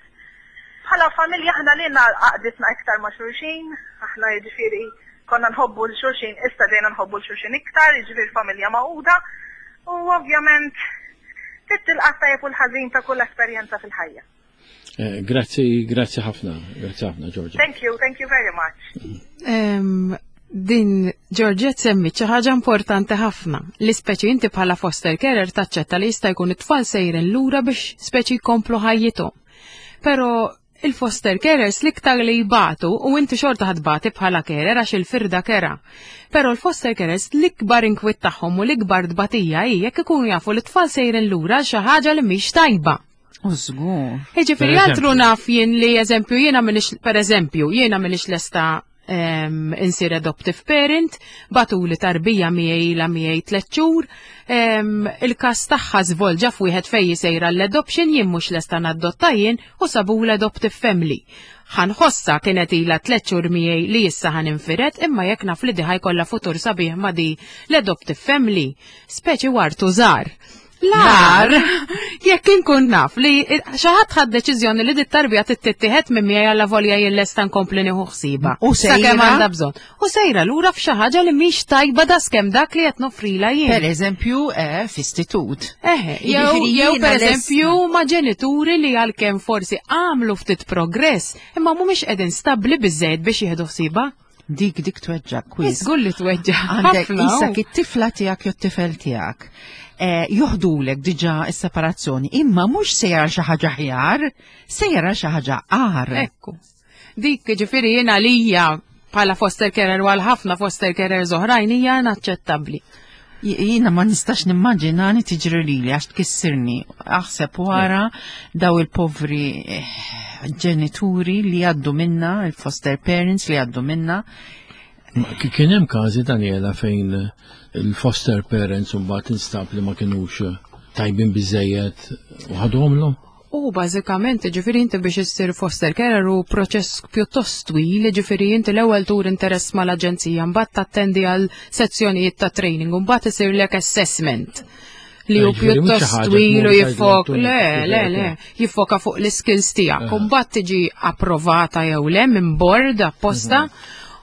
Bħala familja aħna lilna għaqqditna iktar ma' xulxin, aħna jiġifieri konna nħobbu 'l xulxin, issa dejna nħobbu 'l xulxin iktar, jiġifieri familja magħquda, u ovvjament trid tilqa' tajjeb u l-ħażin ta' kull esperjenza fil-ħajja. Eh, Grazzi, grazzi ħafna, grazzi ħafna, Georgia. Thank you, thank you very much. Em, din Georgette semmi xi ħaġa importanti ħafna, li speċi inti bħala foster carer taċċetta li jista' jkun it-tfal sejrin lura biex speċi jkomplu ħajjithom. Però il-foster carers l-iktar li jbatu, u inti xorta ħa tbati bħala carer għax il-firda kerha. Però l-foster carers l-ikbar inkwiet tagħhom u l-ikbar tbatija hi jekk ikunu jafu li t-tfal sejrin lura xi ħaġa li mhix tajba. U żgur. Jiġifieri Per altru eżempju. naf jien li eżempju jiena minix, per eżempju jiena minix lesta um, insir adoptive parent, bagħtuli tarbija miegħi la miegħi tliet xhur, um, il-każ tagħha żvolġa f'wieħed fejn sejra l-adoption, jien mhux lesta nadotta jien u sabu l-adoptive family. Ħa nħossha kienet ilha tliet xhur miegħi li issa ħa ninfired, imma jekk naf li di ħa jkollha futur sabiħ ma' di l-adoptive family, speċi wartu żgħar. Lar, jekk inkun naf li xi ħadd ħad deċiżjoni li dit-tarbija tittieħed minn miegħi għalla volja jien lesta nkompli nieħu ħsiebha. U Sakemm sejra? għandha bżonn. U sejra lura f'xi ħaġa li mhix tajba daskemm dak li qed noffrila jien. Per eżempju, eh, f'istitut. Eħe, jew Jiġifieri jew jiena per lesta- eżempju ma' ġenituri li għalkemm forsi għamlu ftit progress, imma mhumiex qegħdin stabbli biżejjed biex jieħdu ħsiebha. Dik dik tweġġa' kwiz. Żgur li tweġġa'. Għandek ħafna, issa u. it-tifla tiegħek jew t-tifel tiegħek. Eh, joħdulek diġà s-separazzjoni, imma mhux se jara xi ħaġa aħjar, se jara xi ħaġa agħar. Ekku. Dik ġifieri jiena lija bħala foster carer u għal ħafna foster carers oħrajn hija inaċċettabbli. J- Jiena ma nistax nimmaġinani tiġri lili għax tkissirni. Aħseb wara daw il-povri eh, ġenituri li għaddu minna, il-foster parents li għaddu minna. Ma ki- Kien hemm każi, Daniela, fejn il-foster parents mbagħad instab li ma kinux tajbin biżejjed u ħaduhomlhom? U bażikament, ġifieri inti biex issir foster carer u proċess pjuttost twil, ġifieri inti l-ewwel tur interess mal-aġenzija, mbagħad tattendi għal sezzjonijiet ta' training, u mbagħad isirlek assessment li hu Eh, ġifieri mhux xi pjuttost ħaġa twil u tmur jiffok, tgħidlhom le, tuni le, le, jiffoka fuq l-skills tiegħek. U mbagħad tiġi approvata jew le minn board apposta.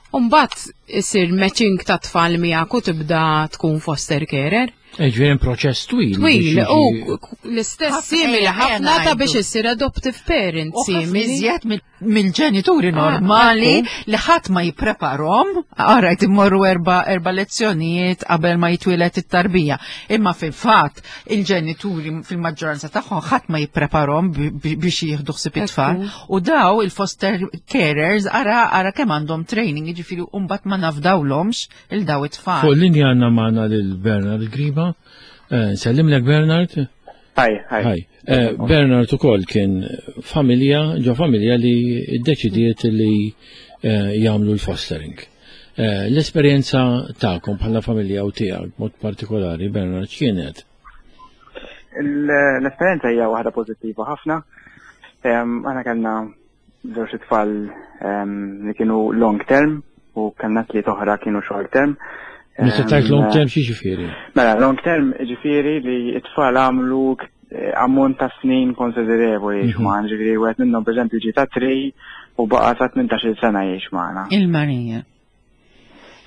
U mbagħad isir matching ta' tfal miegħek u tibda tkun foster carer. Eh, Ġifieri hemm proċess twil. Twil, biex u jiġi- l-istess Ħafna- simili ejja, ħafna ta' ngħidu. biex issir adoptive parent U ħafna simili. iżjed mill- mill-ġenituri Ah, normali ekku. li ħadd ma jippreparhom, għarajt immorru erba, erba lezzjonijiet qabel ma jitwieled it-tarbija. Imma fil-fatt il-ġenituri fil-maġġoranza tagħhom ħadd ma jippreparhom bi- bi- biex jieħdu ħsieb it-tfal. U daw il-foster carers ara ara kemm għandhom training, jiġifieri u mbagħad ma nafdawlhomx il daw it-tfal. Fuq linja għandna magħna lil Bernard Griba. Eh, Nsellimlek, Bernard. Hi, hi. Hi. Eh, Bernard ukoll kien familja, ġo familja li ddeċidiet li eh, jagħmlu l-fostering. Eh, L-esperjenza tagħkom bħala familja u tiegħek mod partikolari, Bernard, x'kienet? L- L-esperjenza hija waħda pożittiva ħafna. Em, Aħna kellna żewġ tfal em, li kienu long term u kellna tliet oħra kienu short term. Meta Em, tajt long term xi ġifieri? Mela, long term ġifieri li t-tfal għamlu eh, ammont ta' snin konsiderevoli jgħix Mhm. magħna, ġifieri wieħed minnhom pereżempju ġie ta' tlieta u baqa' sa tmintax-il sena jgħix magħna. Il-Marija.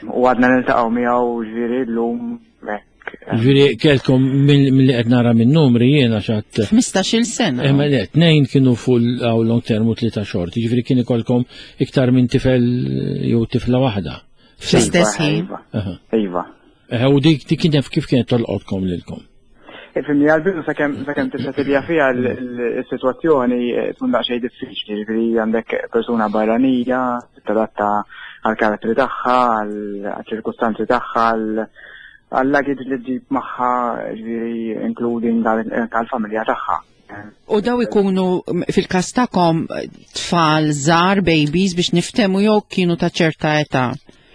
U għadna niltaqgħu miegħu ġifieri llum hekk. Ġifieri kelkom mill-li qed nara minn numri jiena xatt ħmistax-il sena. Imma le, tnejn kienu full għaw long term u tlieta short, ġifieri kien ikolkom iktar minn tifel jew tifla waħda. Fl-istess ħin. Iva, Aha. Iva. Eh, U dik dik kienet kif kienet tolqotkom lilkom? Ifhimni, għal-bidu sakemm sakemm tissettilja fiha l-sitwazzjoni eh, tkun daqsxejn diffiċli, ġifieri għandek persuna barranija, tadatta għal-karattri tagħha, għal-ċirkustanzi tagħha, għal-luggage li ġġib magħha, ġifieri including għal-familja tagħha. U daw ikunu m, fil-kas tagħkom tfal żgħar, babies biex niftemu jew kienu ta' ċerta età?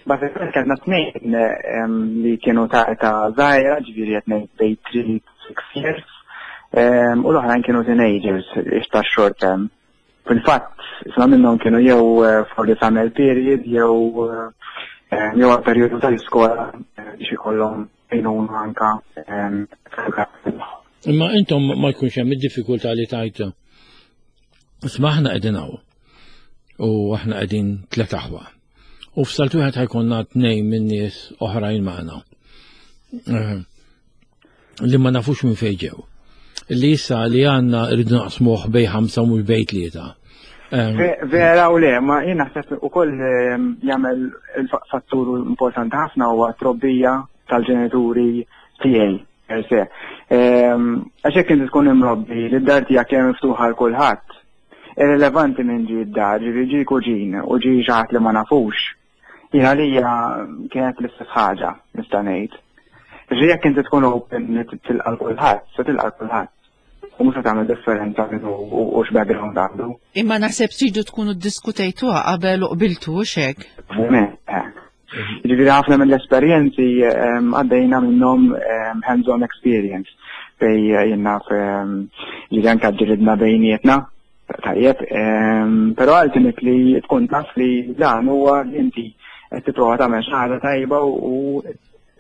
Bażikament kellna tnejn em, li kienu ta' età żgħira, ġifieri qed ngħid bejn three to six years, em, u l-oħrajn kienu teenagers ix ta' short term. Fil-fatt, isma minnhom kienu jew eh, for the summer period, jew eh, em, jew għal periodu tal-iskola eh, biex ikollhom għajnuna anka em, Imma intom ma jkunx hemm id-diffikultà li tajt isma' aħna qegħdin hawn u aħna qegħdin tliet aħwa. U f'salt wieħed ħa jkollna tnejn minn nies oħrajn magħna. Eh, Li ma nafux minn fejn ġew. Li issa li għandna rridu naqsmuh bejn ħamsa u mhux bejn tlieta. Eh, Ve- Vera u le, ma jien naħseb ukoll em, jagħmel il-fattur importanti ħafna huwa trobbija tal-ġenituri tiegħi per se. Em, Għax jekk inti tkun imrobbi li d-dar tiegħek hija miftuħa għal kulħadd, irrilevanti minn ġie d-dar, ġifieri ġie kuġin u ġie xi ħadd li ma nafux. Jien għalija kienet l-istess ħaġa, nista' ngħid. Ġifieri jekk inti tkun open li tilqa' kulħadd, se tilqa' kulħadd. U mhux se tagħmel differenza minnu u u x'background għandu. Imma naħseb tridu tkunu ddiskutejtuha qabel u qbiltu hekk. Ovvjament, eh. Ġifieri ħafna mill-esperjenzi em, għaddejna minnhom em, hands-on experience fej eh, jien naf em, ġifieri anke ġilidna bejnietna, tajjeb, em, però ultimately tkun taf li dan huwa li inti qed tipprova tagħmel xi ħaġa tajba u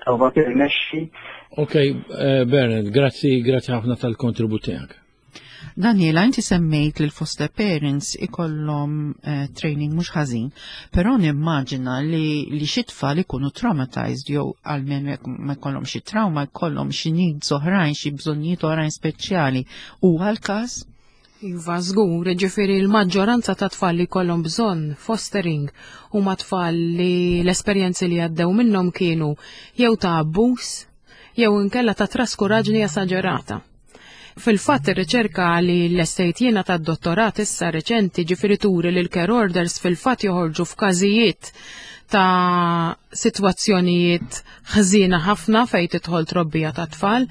prova tirnexxi. Ok, eh, Bernard, grazzi, grazzi ħafna tal-kontribut tiegħek. Daniela, inti semmejt li l-foster parents ikollhom eh, training mhux ħażin, però nimmaġina li li xi tfal ikunu traumatized jew almenu jekk ma jkollhom xi trauma jkollhom xi needs oħrajn, xi bżonnijiet oħrajn speċjali. Huwa l-każ? Iva, żgur, ġifieri l-maġġoranza ta' tfal li kollhom bżonn fostering huma tfal li l-esperjenzi li għaddew minnhom kienu jew ta' abbuż jew inkella ta' traskuraġni esaġerata. Fil-fatt, ir-riċerka li lestejt jiena ta' dottorat issa reċenti, ġifieri turi li l-care orders fil-fatt joħorġu f'każijiet ta' sitwazzjonijiet ħżiena ħafna fejn tidħol trobbija ta' tfal.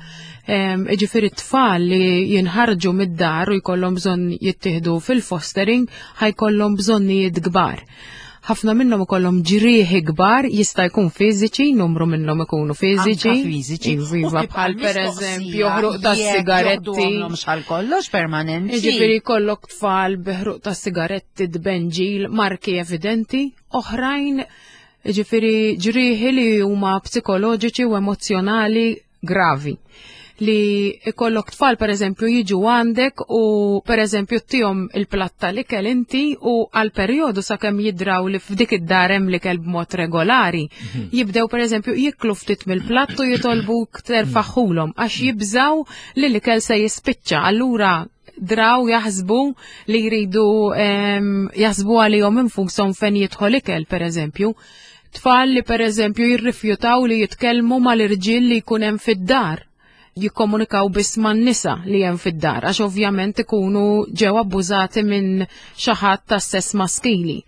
Ġifieri tfal li jinħarġu mid-dar u jkollhom bżonn jittieħdu fil-fostering ħa jkollhom bżonnijiet kbar. Ħafna minnhom ikollhom ġrieħi kbar, jista' jkun fiżiċi, numru minnhom ikunu fiżiċi. Anka fiżiċi. Iva, bħal pereżempju ħruq ta' sigaretti. Xal kollox permanenti. Ġifieri jkollok tfal bi ħruq ta' sigaretti, dbenġil, marki evidenti, oħrajn ġifieri ġrieħi li huma psikoloġiċi u emozjonali gravi, li ikollok tfal per eżempju jiġu għandek u per eżempju ttihom il-platt tal-ikel inti u għal perjodu sakemm jidraw li f'dik id-dar hemm l-ikel b'mod regolari, mhm. jibdew per eżempju jiklu ftit mill-platt u jitolbuk terfagħhulhom għax jibżaw li l-ikel se jispiċċa. Allura draw jaħsbu li jridu jaħsbu għalihom infushom fejn jidħol ikel per eżempju. Tfal li per eżempju jirrifjutaw li jitkellmu mal-irġiel li jkun hemm fid-dar, jikkomunikaw biss man-nisa li hemm fid-dar, għax ovvjament ikunu ġew abbużati minn xi ħadd ta' sess maskili.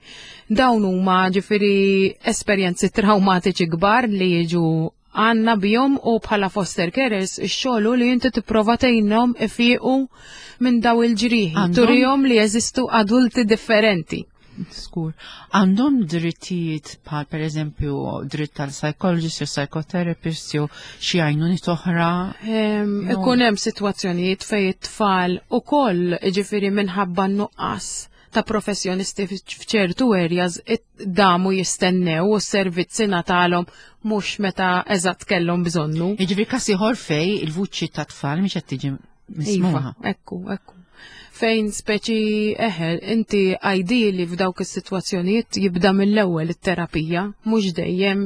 Dawn huma ġifieri esperjenzi traumatiċi kbar li jiġu għandna bihom u bħala foster carers ix-xogħol li inti tipprova tgħinhom ifiqu minn daw il-ġrieħi, turihom li jeżistu adulti differenti. Skur. Għandhom drittijiet bħal per eżempju dritt tal-psychologist jew psychotherapist jew xi għajnuniet oħra? Ikun hemm sitwazzjonijiet fejn it-tfal ukoll, ġifieri minħabba nuqqas ta' professjonisti f'ċertu areas, damu jistennew u s-servizzi ngħatalhom mhux meta eżatt kellhom bżonnu. Jiġifieri każ ieħor fejn il-vuċi ta' tfal mhix qed tiġi Iva, mismuha. Ekku, ekku. Fejn speċi eħe, inti ideally f'dawk is-sitwazzjonijiet jibda mill-ewwel it-terapija, mhux dejjem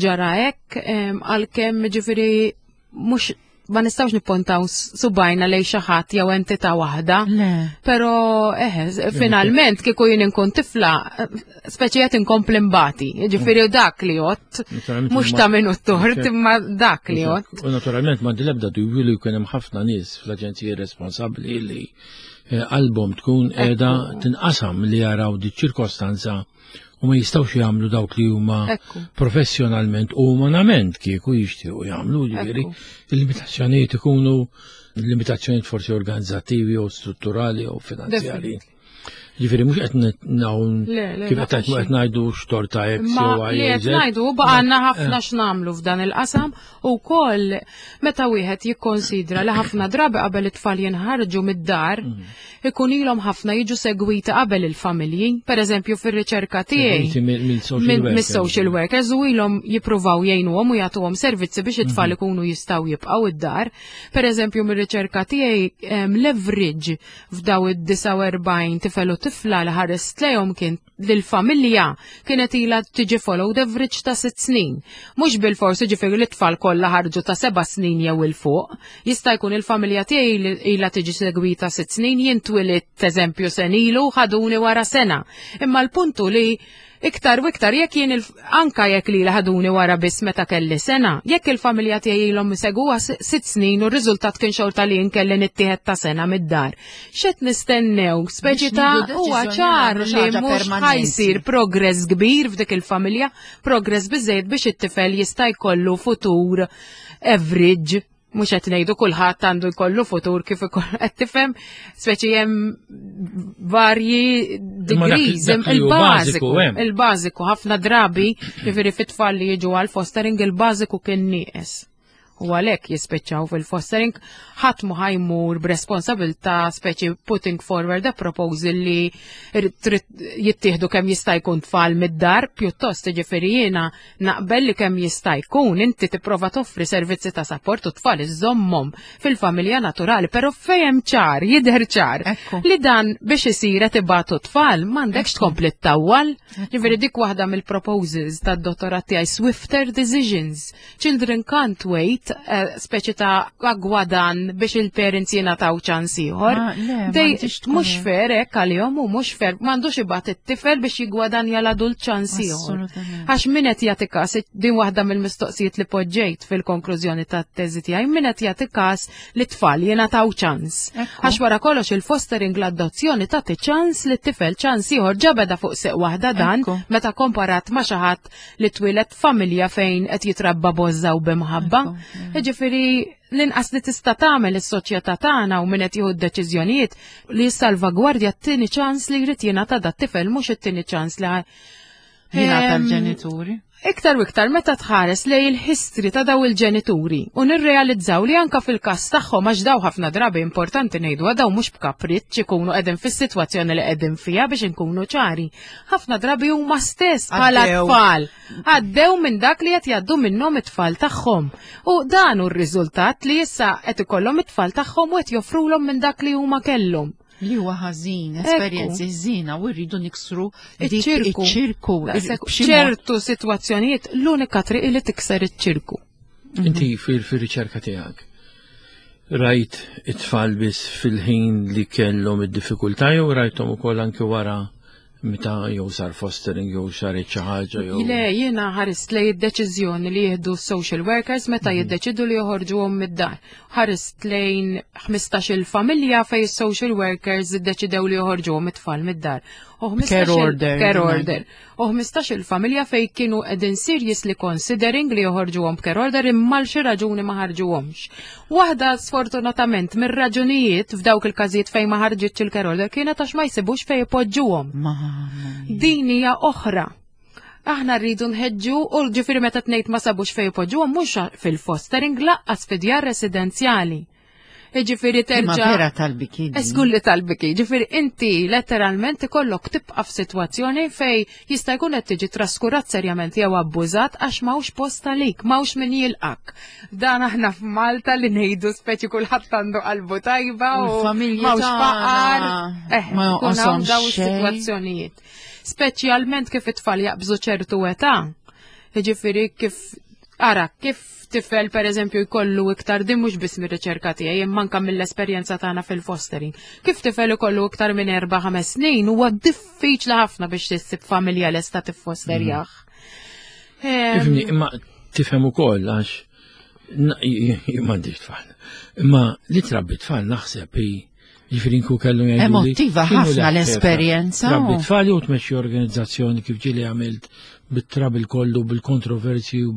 ġara hekk, għalkemm ġifieri mhux ma nistgħux nippontaw subgħajna lejn xi ħadd jew entità waħda. Però eħe, finalment kieku jien inkun tifla, speċi qed inkompli mbati. Ġifieri dak li jgħodd, mhux ta' min hu tort, imma dak li jgħodd. U naturalment ma l-ebda dubju li jkun hemm ħafna nies fl-aġenziji responsabbli li eh, qalbhom tkun qiegħda tinqasam li jaraw di ċirkostanza u ma jistgħux jagħmlu dawk li huma professjonalment u umanament kieku jixtiequ jagħmlu, ġifieri il-limitazzjonijiet ikunu limitazzjonijiet forsi organizzattivi u strutturali u finanzjari. Ġifieri mhux qed nawn kif qed qed ngħidu x'torta X jew Y. Li qed ngħidu baqgħanna ħafna x'nagħmlu f'dan il-qasam u wkoll meta wieħed jikkonsidra li ħafna drabi qabel it-tfal jinħarġu mid-dar mhm. ikun ilhom ħafna jiġu segwiti qabel il-familji. Per eżempju fir-riċerka tiegħi mis-social workers u ilhom jippruvaw jgħinuhom u jagħtuhom servizzi biex it-tfal mhm. ikunu jistgħu jibqgħu id-dar. Per eżempju mir-riċerka tiegħi l-average f'daw id-disgħa u erbgħin tifel u tifla li ħarist lejhom kien lill-familja kienet ilha tiġi followed average ta' sitt snin. Mhux bil-forsi ġifieri li t-tfal kollha ħarġu ta' seba' snin jew 'il fuq. Jista' jkun il-familja tiegħi ilha tiġi segwita sitt snin, jien twilidt eżempju sena ilu, ħaduni wara sena. Imma l-puntu li iktar u iktar jekk jien anka jekk li ħaduni wara biss meta kelli sena, jekk il-familja tiegħi ilhom segwuha sitt snin u r-riżultat kien xorta li kelli nittieħed ta' sena mid-dar. X'qed nistennew? Speċi ta' huwa ċar li mhux ħa jsir progress kbir f'dik il-familja, progress biżejjed biex it-tifel jista' jkollu futur average. Mhux qed ngħidu kulħadd għandu jkollu futur kif qed tifhem, speċi hemm varji degrees, il-bażiku, il-bażiku ħafna drabi, jiġifieri fit-tfal li jiġu għal fostering il-bażiku kien nieqes. U għalhekk jispiċċaw fil-fostering. Ħadd mu ħa jmur b'responsabilità speċi putting forward a proposal li trid jittieħdu kemm jista' jkun tfal mid-dar, pjuttost ġifieri jiena naqbel li kemm jista' jkun inti tipprova toffri servizzi ta' support u tfal iżommhom fil-familja naturali, però fejn ċar, jidher ċar li dan biex isir qed ibatu tfal, m'għandekx tkompli ttawwal. Ġifieri dik waħda mill-proposals tad-dottorat tiegħi, swifter decisions. Children can't wait. qiegħed eh, speċi ta' gwadan biex il-parents jingħataw ċans ieħor. Ma, le, Dej, m'għandix tkun mhux hekk. fair hekk għalihom u mhux fair, m'għandux ibgħat it-tifel biex jigwadanja l-adult ċans ieħor. Assolutament. Għax min qed jagħti każ, din waħda mill-mistoqsijiet li poġġejt fil-konklużjoni tat-teżi tiegħi, min qed jagħti każ li tfal jingħataw ċans. Ekku. Għax wara kollox il-fostering, l-adozzjoni tagħti ċans li t-tifel ċans ieħor ġabeda fuq seq waħda dan Ekku. meta komparat ma' xi ħadd li twieled familja fejn qed jitrabba b'għożża u b'imħabba. Ekku, Jiġifieri l-inqas li tista' tagħmel is-soċjetà tagħna u min qed jieħu d-deċiżjonijiet li jissalvagwardja t-tieni ċans li jrid jingħata dat-tifel, mhux it-tieni ċans li Jingħata Em, l-ġenituri. Iktar u iktar meta tħares lej il-history ta' daw il-ġenituri u nirrealizzaw li anka fil-kas tagħhom, għax daw ħafna drabi, importanti ngħidu, daw mhux b'kapriċċ ikunu qegħdin fis-sitwazzjoni li qegħdin fiha, biex inkunu ċari. Ħafna drabi huma stess bħala Għaddew. tfal għaddew minn dak li qed jgħaddu minnhom it-tfal tagħhom. U dan hu r-riżultat li issa qed ikollhom it-tfal tagħhom u qed joffrulhom minn dak li huma kellhom. Li huwa ħażin, esperjenzi ħżiena u rridu niksru dik Iċ-ċirku. iċ-ċirku. Daqshekk. B'xi mod. ċertu sitwazzjonijiet l-unika triq li tikser iċ-ċirku. Inti fil-riċerka tiegħek rajt it-tfal biss fil-ħin li kellhom id-diffikultà jew rajthom ukoll anke wara, meta jew sar fostering jew saret xi ħaġa jew? Le, jiena ħarist lej id-deċiżjoni li jieħdu social workers meta jiddeċidu li joħorġuhom mid-dar. Ħarist lejn ħmistax-il familja fej social workers iddeċidew li joħorġuhom it-tfal mid-dar. U ħmistax-il Care order. Care order. U ħmistax-il familja fej kienu qegħdin seriously considering li joħorġuhom b'care order imma l xi raġuni ma ħarġuhomx. Waħda, sfortunatament, mir-raġunijiet f'dawk il-każijiet fejn ma ħarġitx il-care order kienet għax ma jsibux fejn ipoġġuhom. Ma Din hija oħra. Aħna rridu nħeġġu u ġifieri meta tnejt ma sabux fejn ipoġġuhom, mhux fil-fostering, lanqas fi djar residenzjali. Ġifieri Ma terġa' vera tal-biki. Żgur li tal-biki, ġifieri inti letteralment ikollok tibqa' f'sitwazzjoni fej jista' jkun qed tiġi traskurat serjament jew abbużat għax m'hawnx post għalik, m'hawnx min jilqak. Dan aħna f'Malta li ngħidu speċi kulħadd għandu qalbu tajba U u l-familji m'hawnx faqar. tagħna Eh, ma ikun hawn jonqoshom daw xejn. is-sitwazzjonijiet. Speċjalment kif it-tfal jaqbżu ċertu età. Ġifieri kif ara, kif tifel per eżempju jkollu iktar, din mhux biss mir-riċerka tiegħi imma anke mill-esperjenza tagħna fil-fostering. Kif tifel ikollu iktar minn erba' ħames snin huwa diffiċli ħafna biex tissib familja lesta tiffosterjah. Em, Ifhimni, imma tifhem ukoll għax na- j- j- m'għandix tfal. Imma li trabbi tfal naħseb hi, ġifieri nkun kellu jgħidu li Emotiva x'inhu ħafna l-eħfef? l-esperjenza. Trabbi tfal jew tmexxi organizzazzjoni kif ġieli għamilt bit-trabil kollu, bil-kontroversi u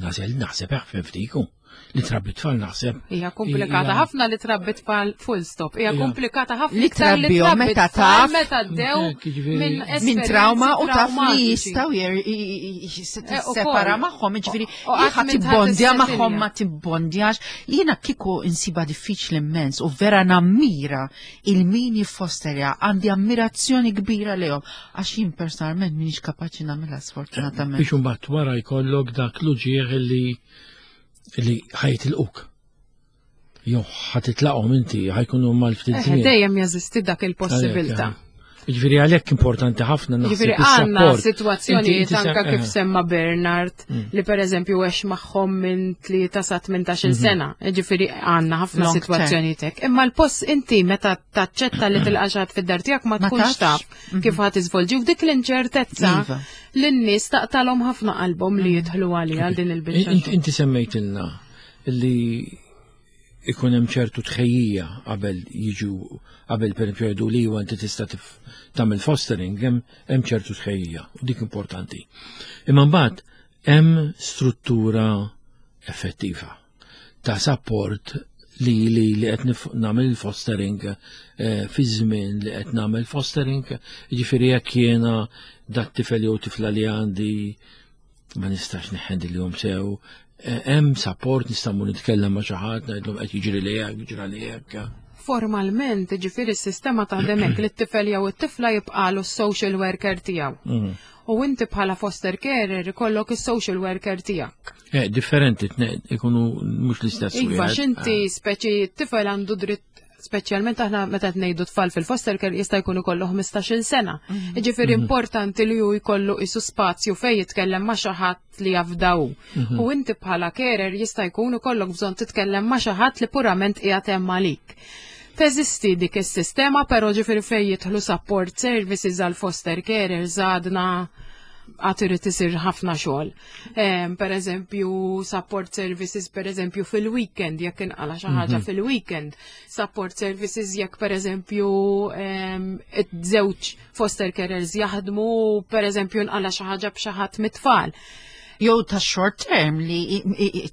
nażel naħseb eħfef diku. Li trabbi tfal naħseb. Hija komplikata Hija- ħafna li trabbi tfal, full stop. Hija Hija. komplikata ħafna Li iktar li trabbihom trabbi meta tfal taf- meta ddew Hekk, jiġifieri- minn Minn esperjenzi trauma u taf li traumatiċi. jistaw Eh, u separa koll. magħhom, ġifieri, U qatt ħa minn tibbondja ħadd magħhom, ma tibbondjax. Jiena kieku insiba diffiċli immens u vera nammira il-min jiffosterja, għandi ammirazzjoni kbira lejhom, għax jien personalment minix kapaċi nagħmilha, sfortunatament. Biex imbagħad wara jkollok dak l-uġieħ li li ħa jitilquk. Jew ħa titlaqhom inti, ħa jkunu mal-ftit Eh, żmien. Dejjem jeżisti dak il-possibilità. Ġifieri għalhekk importanti ħafna naħseb Ġifieri għandna is-support. situazzjonijiet Inti- inti anka sem- kif eh. semma Bernard li per eżempju għex magħhom minn tlieta sa tmintax-il sena. Ġifieri għandna ħafna Long term. situazzjonijiet hekk. Imma l-post inti meta taċċetta li tilqa' xi ħadd fid-dar tiegħek ma Ma tkunx tafx. taf kif ħa tiżvolġi u dik l-inċertezza Iva. lin-nies taqtalhom ħafna qalbhom li jidħlu għalija għal din il-biċċa. Inti inti semmejtilna li ikun hemm ċertu tħejjija qabel jiġu, qabel per esempio jgħidu li huwa inti tista' tif- tagħmel fostering, hemm hemm ċertu tħejjija u dik importanti. Imma mbagħad hemm struttura effettiva ta' support li li li qed nif- nagħmel il-fostering eh, fi żmien li qed nagħmel fostering, jiġifieri jekk jiena dat tifel jew tifla li għandi ma nistax neħendilhom sew, eh, hemm support, nista' mmur nitkellem ma' xi ħadd, ngħidlhom qed jiġri li hekk, ġra li hekk? Formalment, ġifieri s-sistema taħdem hekk li t-tifel jew it-tifla jibqalu s-social worker tiegħu. Mm. U inti bħala foster carer ikollok is-social worker tiegħek. Eh, differenti, tne- ikunu mhux l-istess Iva, wieħed. x'inti speċi t-tifel għandu dritt Speċjalment aħna meta qed ngħidu tfal fil-foster care jista' jkun ikollu ħmistax-il sena. Jiġifieri importanti li hu jkollu isu spazju fejn jitkellem ma' xi ħadd li jafdaw. U inti bħala carer jista' jkun ikollok bżonn titkellem ma' xi ħadd li purament qiegħed hemm għalik. Teżisti dik is-sistema, però ġifieri fejn jidħlu support services għal foster carers għadna għad irid isir ħafna xogħol. Em, Per eżempju, support services per eżempju fil-weekend, jekk inqala xi ħaġa fil-weekend. Support services jekk per eżempju em, iż-żewġ foster carers jaħdmu, per eżempju nqala xi ħaġa b'xi ħadd mit-tfal. Jew ta' short term li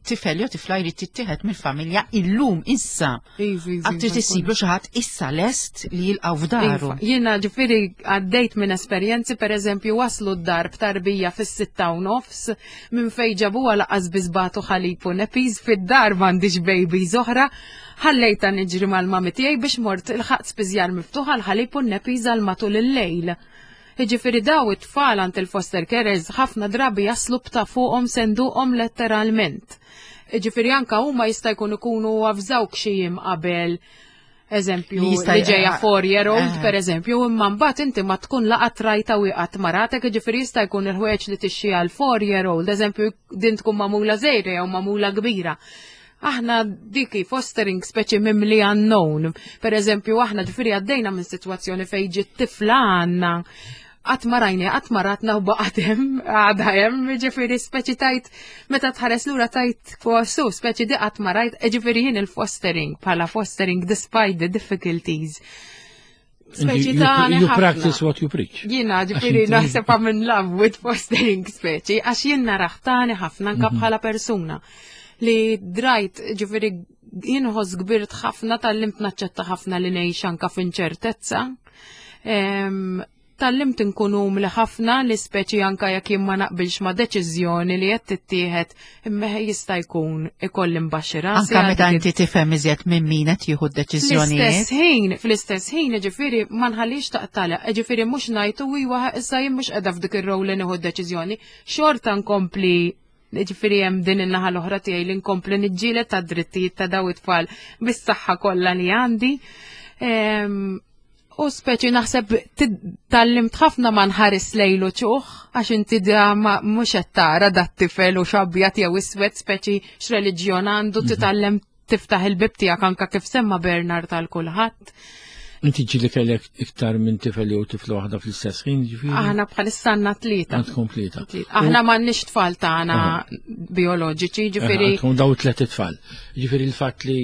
t-tifel jew tifla jrid tittieħed mill-familja illum issa. Iva, iva, Għad trid iva, issiblu xi ħadd issa lest li jilqgħu f'daru. Iva, jiena ġifieri għaddejt minn esperjenzi, per eżempju, waslu d-dar b'tarbija fis-sitta u nofs, minn fej ġabuha lanqas biss bagħtu ħalib u nappies, fid-dar m'għandix babies oħra, ħallejta niġri mal-mami tiegħi biex mort ilħaqt spiżjar miftuħa l-ħalib u nappies għal matul il-lejl. Jiġifieri daw it-tfal għand il-foster carers ħafna drabi jaslu b'ta' fuqhom senduqhom letteralment. Jiġifieri anka huma jista' jkun ikunu avżawk xi jiem qabel, eżempju, Li jista' li ġejja four year old, Eh. per eżempju, imma mbagħad inti ma tkun laqat rajta u qatt maratek, jiġifieri jista' jkun il-ħwejjeġ li tixxi għal four year old, eżempju, din tkun magħmula żgħira jew magħmula kbira. Aħna diki fostering speċi mimli unknown. Per eżempju, aħna ġifieri għaddejna minn situazzjoni fejn ġiet tifla għandna qatt ma rajni, qatt ma ratna u baqgħet hemm, għadha hemm, ġifieri speċi tajt, meta tħares lura tajt su, speċi di qatt ma rajt, ġifieri jien il-fostering, bħala fostering despite the difficulties. Speċi You, ta' you practice what you preach. Jiena ġifieri inti- naħseb I'm in love with fostering speċi, għax jien naraħtani ħafna anka bħala persuna li drajt ġifieri jien ħoss kbirt ħafna tgħallimt naċċetta ħafna li ngħix anka f'inċertezza. Em, Tgħallimt nkun umli ħafna li speċi anka jekk jien ma naqbilx ma' deċiżjoni li qed tittieħed imma jista' jkun ikolli mbaxxi rasi. Anka għal meta dik inti tifhem iżjed minn min qed jieħu d-deċiżjonijiet. Fl-istess ħin, fl-istess ħin, ġifieri ma nħallix taqtala, ġifieri mhux ngħidu iwa issa jien mhux qiegħda f'dik ir-rol li nieħu d-deċiżjoni, xorta nkompli ġifieri hemm din in-naħa l-oħra tiegħi li nkompli niġġieled ta' drittijiet ta' daw it-tfal bis-saħħa kollha li għandi. Em, U speċi naħseb tgħallimt ħafna ma nħares lejlu ċuħ, għax inti da ma mhux qed tara dat tifel u x'abjad jew iswed speċi x'reliġjon għandu titgħallem tiftaħ il-bib tiegħek anka kif semma Bernard tal kulħadd. Inti ġieli kellek iktar minn tifel jew tifla waħda fl-istess ħin, ġifieri? Aħna bħalissa għandna tlieta. Għandkom tlieta. Tlieta. Aħna m'għandniex tfal tagħna bioloġiċi, ġifieri Għandkom daw tlet itfal. Ġifieri il-fatt li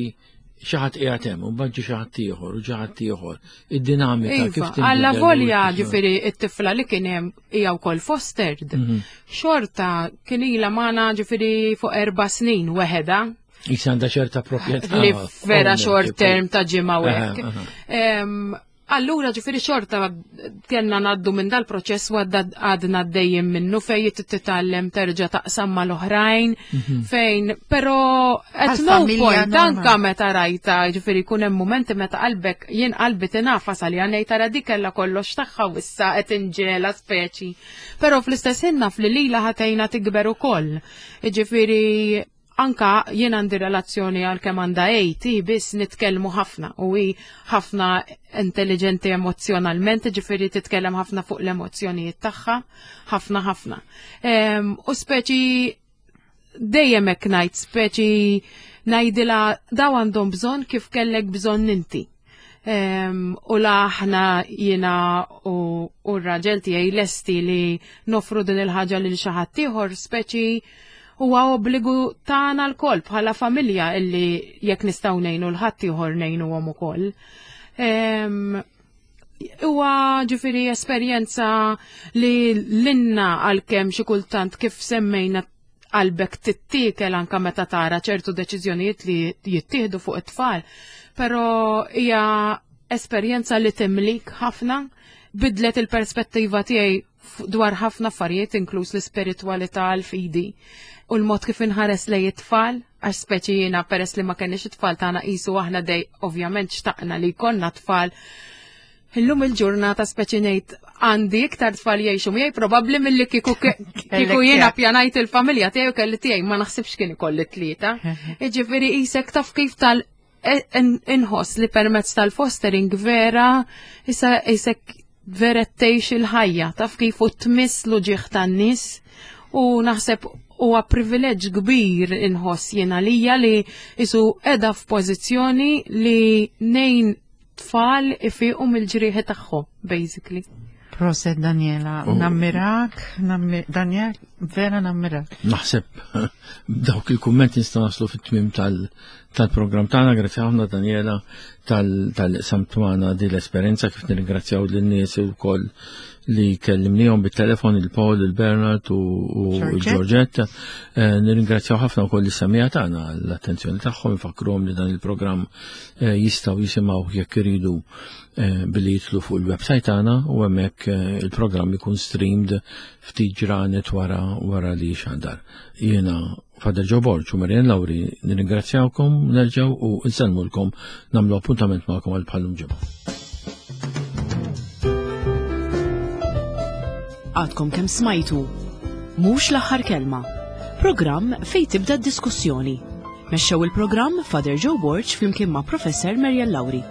xi ħadd qiegħed hemm u mbagħad ġie xi ħadd ieħor u xi ħadd ieħor. Id-dinamika kif Iva, tinbidel alla u volja kif- ġifieri it-tifla li kien hemm hija wkoll fostered. Mhm. Xorta kien ilha magħna ġifieri fuq erba' snin weħeda Issa għandha ċerta proprjetà. li vera Owner, short tipo. term ta' ġimgħa u hekk. Aha, aha. Em, Allura ġifieri xorta kellna ngħaddu minn dal-proċess u għadda għadna għaddejjin minnu fejn titgħallem terġa' taqsam mal-oħrajn fejn però at no Għal-familja point normal. anka meta rajta ġifieri jkun hemm momenti meta qalbek jien qalbi tingħafas għalija ngħid tara dik kellha kollox tagħha u issa qed inġela speċi. Però fl-istess ħin naf li lilha ħa tgħinha tikber ukoll. Ġifieri anka jien għandi relazzjoni għal kemm għandha eight, biss nitkellmu ħafna u hi ħafna intelligenti emozjonalment, ġifieri titkellem ħafna fuq l-emozzjonijiet tagħha, ħafna ħafna. Em, U speċi dejjem hekk ngħid, speċi ngħidilha daw għandhom bżonn kif kellek bżonn inti. Em, u la aħna jiena u, u r-raġel tiegħi lesti li nofru din il-ħaġa lil xi ħadd ieħor, speċi huwa obbligu tagħna lkoll bħala familja illi jekk nistgħu ngħinu 'l ħadd ieħor ngħinuhom ukoll. Em, Huwa ġifieri esperjenza li l-inna għalkemm xi kultant kif semmejna qalbek tittiekel anka meta tara ċertu deċiżjonijiet li jittieħdu fuq it-tfal, però hija esperjenza li timlik ħafna, bidlet il-perspettiva tiegħi f- dwar ħafna affarijiet inkluż l-ispiritwalità l-fidi u l-mod kif inħares lej it-tfal, għax speċi jiena peress li ma kenniex it-tfal tagħna qisu aħna dej ovvjament xtaqna li jkollna tfal. Illum il-ġurnata speċi ngħid għandi iktar tfal jgħixu miegħi probabbli milli kieku kieku jiena pjanajt il-familja tiegħi u kelli tiegħi ma naħsibx kien ikolli tlieta. Jiġifieri qisek taf kif tal e- inħoss li permezz tal-fostering vera issa isek vera tgħix il-ħajja, taf kif u tmiss l-uġigħ tan-nies u naħseb huwa privileġġ kbir inħoss jiena lija li isu qiegħda f'pożizzjoni li ngħin tfal ifiqu mill-ġrieħi tagħhom, basically. Proset Daniela, Oh. nammirak, nammi- Daniel, vera nammirak. Naħseb dawk il-kummenti nistgħu naslu fit-tmim tal- tal-programm tagħna, grazzi ħafna Daniela tal-li qsamt magħna di l-esperjenza kif nirringrazzjaw lin-nies ukoll li kellimnihom bit-telefon il-Paul, il-Bernard u u Georgette. Georgette. Eh, Nirringrazzjaw ħafna wkoll is-semmiegħa tagħna l-attenzjoni tagħhom, infakkruhom li dan il-programm eh, jistgħu jisimgħu jekk iridu eh, billi jidħlu fuq il-website tagħna u hemmhekk eh, il-programm ikun streamed ftit ġranet wara wara li xandar. Jiena Father Joe Borg u Marian Lauri nirringrazzjawkom, nerġgħu u nsellmulkom nagħmlu appuntament magħkom għal bħal-lum ġimgħa. Għadkom kemm smajtu. Mhux l-aħħar kelma. Programm fejn tibda d-diskussjoni. Mexxew il-programm Father Joe Borg flimkien ma' Professor Marian Lauri.